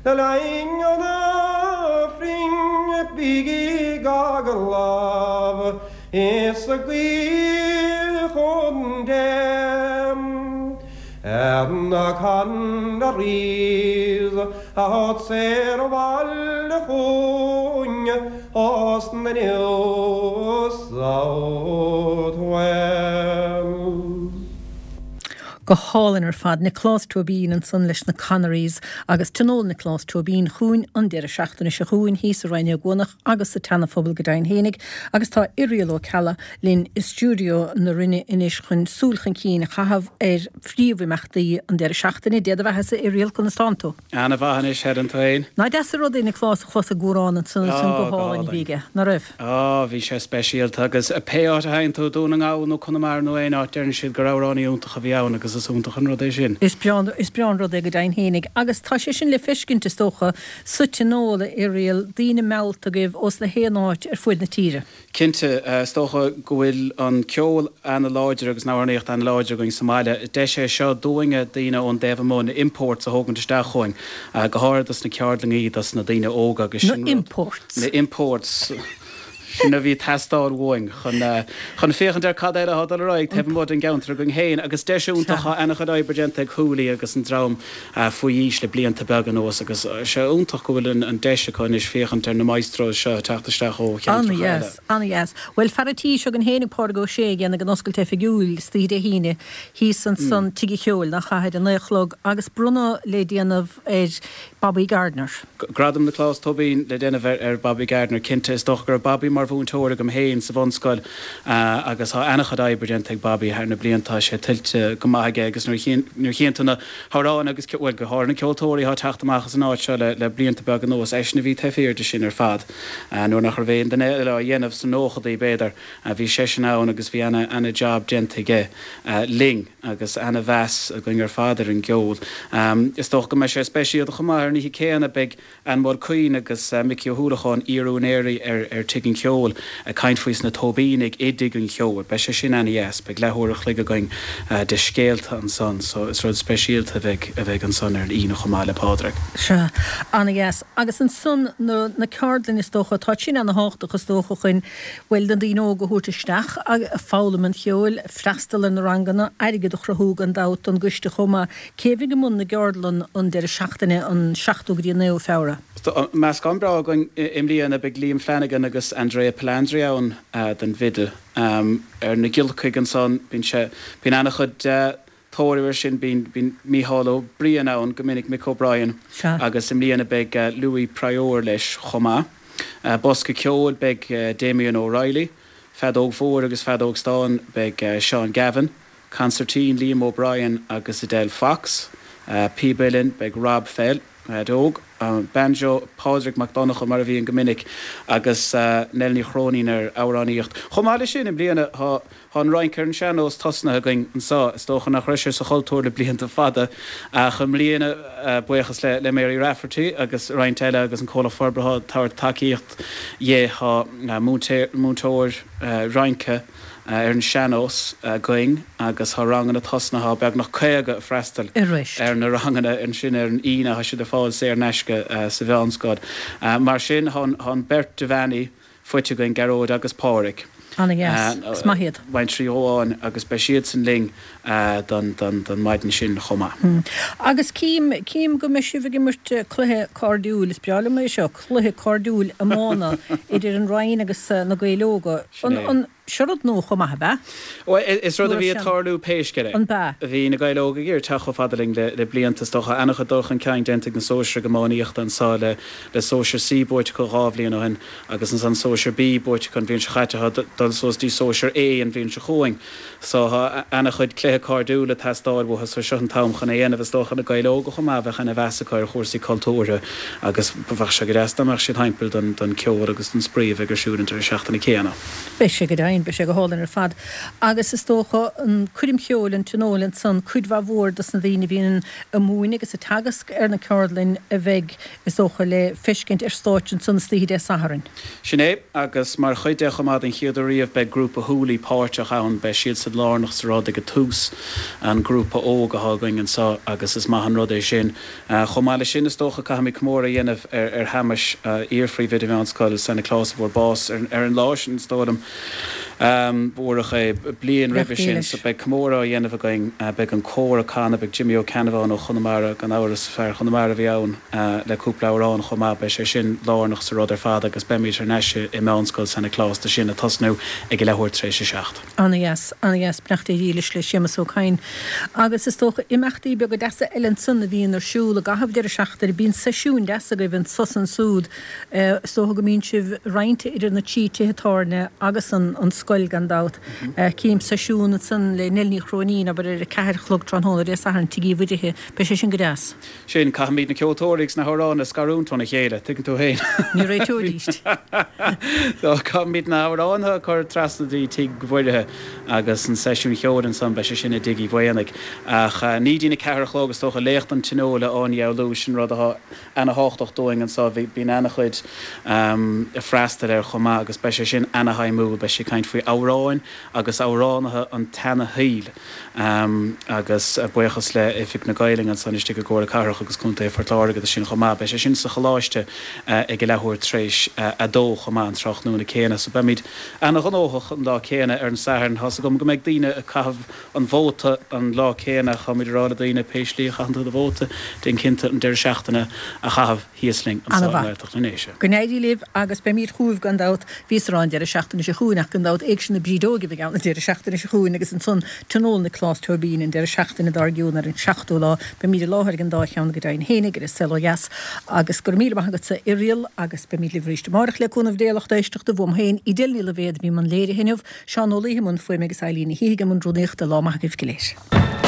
Le linn an Aifrinn bígí ag agallamh Is ag guí chun Dé ar na Connerys a thabhairt saor abhaile chugainn as na New South Wales. Go hálainn ar fad. Nioclás Tóibín ansan leis na Connerys agus Tionól Nioclás Tóibín chugainn an deireadh seachtaine seo chugainn thíos i Rinn Ó gCuanach agus sa tSeana-Phobal go deimhin fhéinig agus tá Irial Ó Ceallaigh linn i stiúideo na Rinne anois chun súil chun cinn a chaitheamh ar phríomhimeachtaí an deireadh seachtaine. Dé do bheathasa Irial, conas tánn tú? Ana mhaith anois, Helen, tú fhéin? Nach deas an rud é Nioclás a chlos ag amhrán ansan ansan go hálainn a bhí aige, ná raibh? Á, bhí sé speisialta agus pé áit a théann tú, Dún na nGall nó Conamara nó aon áit, deireann siad gur amhránaí iontach a bhí ann agus is iontach an rud é sin. Is breá, is breá an rud é go deimhin fhéinig agus tá sé sin le feiscint is dócha sa tionól, a Irial, daoine meallta agaibh ós na haon áit ar fuaid na tíre. Cinnte, is dócha go bhfuil an ceol ana-láidir agus an amhránaíocht ana-láidir againn sa mbaile. Deis é seo dúinne, daoine ón dtaobh amuigh, na imports a thógaint isteach chugainn, go háirithe dos na ceardlannaí, dos na daoine óga agus sin rud. Na imports. Na imports. Sin a bhí ag teastáil uainn chun, chun féachaint ar cad eile atá ag dul ar aghaidh taobh amuigh den gceantar againn féin agus deis iontach, tá ana-chuid oibre déanta ag Hooley agus an dream faoi aois le blianta beaga anuas agus tá sé iontach go bhfuil an deis acu anois féachaint ar na maestros seo ag teacht isteach ó cheantracha eile. An-dheas, an-dheas. Bhuel, fear an tí seo againn féinig, Pádraig Ó Sé, ag déanamh an oscailt oifigiúil istoíche Dé hAoine thíos ansan Tigh an Cheoil, nach ea, ar a naoi a chlog agus bronnadh le déanamh ar Bobby Gardiner. Gradam Nioclás Tóibín le déanamh ar Bobby Gardiner, cinnte. Is dócha go raibh Bobby mar mhúinteoir agam féin sa bhunscoil agus tá an-chuid oibre déanta ag Bobby thar na blianta, tá sé tuillte go maith aige agus nuair a chíonn tú na hamhráin agus, bhuel, go háirithe na ceoltóirí atá ag teacht amach as an áit seo le blianta beaga anuas, eisean a bhí taobh thiar de sin ar fad. Nuair nach raibh aon duine eile á dhéanamh, sna nóchadaí b'fhéidir, bhí seisean ann agus bhí ana-jab déanta aige linn. agus ana-mheas againn ar fad ar an gceol. Is dócha go mbeidh sé speisialta chomh maith ar an oíche céanna, beidh Ann Mulqueen agus Micí Ó hUallacháin, iar-úinéirí ar Tigh an Cheoil. Cheoil ag caint faoi sna Tóibínigh i dTigh an Cheoil. Beidh sé sin ana-dheas. Beidh leathuair a chloig againn de scéalta ansan so is rud speisialta a bheidh a bheidh ansan ar an Aoine chomh maith le Pádraig. Sea. Ana-dheas. Agus ansan na na ceardlainn is dócha, tá sin ana-thábhachtach is dócha chun, bhuel, na daoine óga a thabhairt isteach ag foghlaim an cheoil, freastal ar na ranganna, airgead a chruthú gan dabht don gcoiste chomh maith. Cé a bheidh i mbun na gceardlann an deireadh seachtaine an 7ú go dtí an 9ú Feabhra? Tá meascán breá againn i mbliana. Beidh Liam Flanagan agus Andrea Palandri ann don bhfidil. Ar na giolcaigh ansan, bíonn sé, bíonn an-chuid tóir air sin. Bíonn, bíonn Mícheál Ó Briain ann go minic, Mick O'Brien, agus i mbliana beidh Louis Prior leis chomh maith. Bosca ceoil, beidh Damien O'Reilly. Feadóg mhór agus feadóg stáin, beidh Seán Gavin. Consairtín, Liam O'Brien agus Edel Fox. Píb uilleann, beidh Rob Fell, leaid óg. Banjo, Pádraig Mac Donncha, mar a bhíonn go minic, agus Nell Ní Chróinín ar amhránaíocht. Chomh maith leis sin, i mbliana tá an rince ar an sean-nós tosnaithe againn anseo. Is dócha nach raibh sé sa chultúr le blianta fada, ach i mbliana, buíochas le Mary Rafferty agus roinnt eile agus an Comhlacht Forbartha ag tabhairt tacaíocht dhi, tá múinteoir rince, ar an sean-nós againn agus tá ranganna tosnaithe, tá beagnach 50 ag freastal ar na ranganna ansin ar an Aoine, tá siad ar fáil saor in aisce sa mheánscoil. Mar sin, tá an bheirt Devaney faighte againn, Gearóid agus Páraic. Ana-dheas. Is maith iad. Baintrí amháin agus beidh siadsan linn don maidin sin chomh maith. Agus cím, cím go mbeidh sibh ag imirt cluiche cairdiúil, is breá liom é seo, cluiche cairdiúil iomána idir an Rinn agus na Gaeil Óga. Sin é. An, seo rud nua chomh maith, ab ea? Bhuel, is rud a bhí ag tarlú pé scéal é. An b'ea? Bhí na Gaeil Óga ag iarraidh teacht chomh fada linn le blianta, is dócha. An-chuid dul chun cinn déanta ag na sóisir iománaíochta anseo le Sóisear C buaite acu 2 bhliain ó shin agus ansan Sóisear B buaite acu an bhliain seo chaite. Tá dul suas dtí Sóisear A an bhliain seo chugainn. So tá ana-chuid cluiche cairdiúil ag teastáil uathu so seo an t-am chun é a dhéanamh. Is dócha na Gaeil Óga chomh maith, bheadh ana-mheas acu ar chúrsaí cultúrtha agus bheadh sé go deas dá mbeadh siad thimpeall don don ceol agus don spraoi a bheidh ar siúl an deireadh seachtaine céanna. Beidh sé go deimhin, beidh sé go hálainn ar fad. Agus is dócha an coirm cheoil, an tionól ansan, cuid mhaith mhór dos na daoine a bhíonn ag múineadh agus ag teagasc ar na ceardlainn a bheidh, is dócha, le feiscint ar stáitse ansan istoíche Dé Sathairn. Sin é, agus mar chuid de chomh maith den chéad uair riamh beidh grúpa Hooly páirteach ann, beidh siadsan lárnach sa rud ag an tús, an grúpa óg atá againn anseo agus is maith an rud é sin. Chomh maith leis sin is dócha caithfimid comóradh a dhéanamh ar Shéamus, iar-phríomhoide Mheánscoil San Nioclás a fuair bás ar an lá sin is dóigh liom, murach é, bliain roimhe sin. So beidh comóradh á dhéanamh againn, beidh an cór ag canadh, beidh Jimmy Ó Ceannabháin ó Chonamara, gan amhras, fear Chonamara a bhí ann, le cúpla amhrán chomh maith. Beidh sé sin lárnach sa rud ar fad agus beimid thar n-ais i Meánscoil San Nioclás do sin ag tosnú ag a leathuair tar éis a 7. Ana-dheas, ana-dheas. Beannacht Dé dhílis le Séamus Ó Cadhain. Agus is dócha imeachtaí beaga deasa eile ansan a bhíonn ar siúl i gcaitheamh deireadh seachtaine. Bíonn seisiúin deasa agaibh anso is ansúd. Is dócha go mbíonn sibh roinnte idir na trí tithe tábhairne agus an an scoil gan dabht. Cím seisiún ansan le Nell Ní Chróinín, abair ar a ceathair a chlog tráthnóna Dé Sathairn, Tigh Uí Mhuirithe. Beidh sé sin go deas. Sin, caithfimid na ceoltóirí agus na hamhráin a scarúint óna chéile, tuigeann tú féin. Ní réiteoidís. So, caithfimid na hamhráin a chur trasna dtí Tigh Mhuirithe agus an seisiún cheoil ansan, beidh sé sin i dTigh Uí Mhaonaigh. Ach ní dtí na ceathair a chlog, is dócha, léacht an Tionóil a Áine Dheabhlú, sin rud atá ana-thábhachtach dúinn anso. Bíonn ana-chuid ag freastal air chomh maith agus beidh sé sin ana-shuimiúil. Beidh sí ag caint faoi amhráin agus amhránaithe an tseana-shaoil. Agus buíochas le Oifig na Gaelainne ansan istigh i gComhairle Cathrach agus Contae Phort Láirge do sin chomh maith. Beidh sé sin sa Choláiste ag a leathuair tar éis a dó chomh maith an tráthnóna céanna. So beimid ana-ghnóthach an lá céanna ar an Satharn. Tá's agam go mbeidh daoine ag caitheamh an vóta an lá céanna. Táimid ag rá le daoine pé slí a chaitheann tú do vóta, déan cinnte an deireadh seachtaine a chaitheamh thíos linn anseo i Ana-mhaith. nGaeltacht na nDéise. Go n-éirí libh agus beimid chugaibh gan dabht. Bhíos ag rá an deireadh seachtaine seo chugainn ach gan dabht Éigse na Brídeoige a bheidh ann an deireadh seachtaine seo chugainn agus ansan Tionól Nioclás Tóibín an deireadh seachtaine dár gcionn ar an seachtú lá. Beimid i láthair ag an dá cheann go deimhin fhéinig ar An Saol Ó Dheas agus go raibh míle maith agatsa Irial agus beimid libh arís amárach le cúnamh Dé a lucht éisteachta uaim féin Edel Ní Loibhéad a bhí i mbun léirithe inniu, Seán Ó Laoithe i mbun fuaime agus Eileen Ní Shíthigh i mbun rúnaíochta. Lá maith agaibh go léir.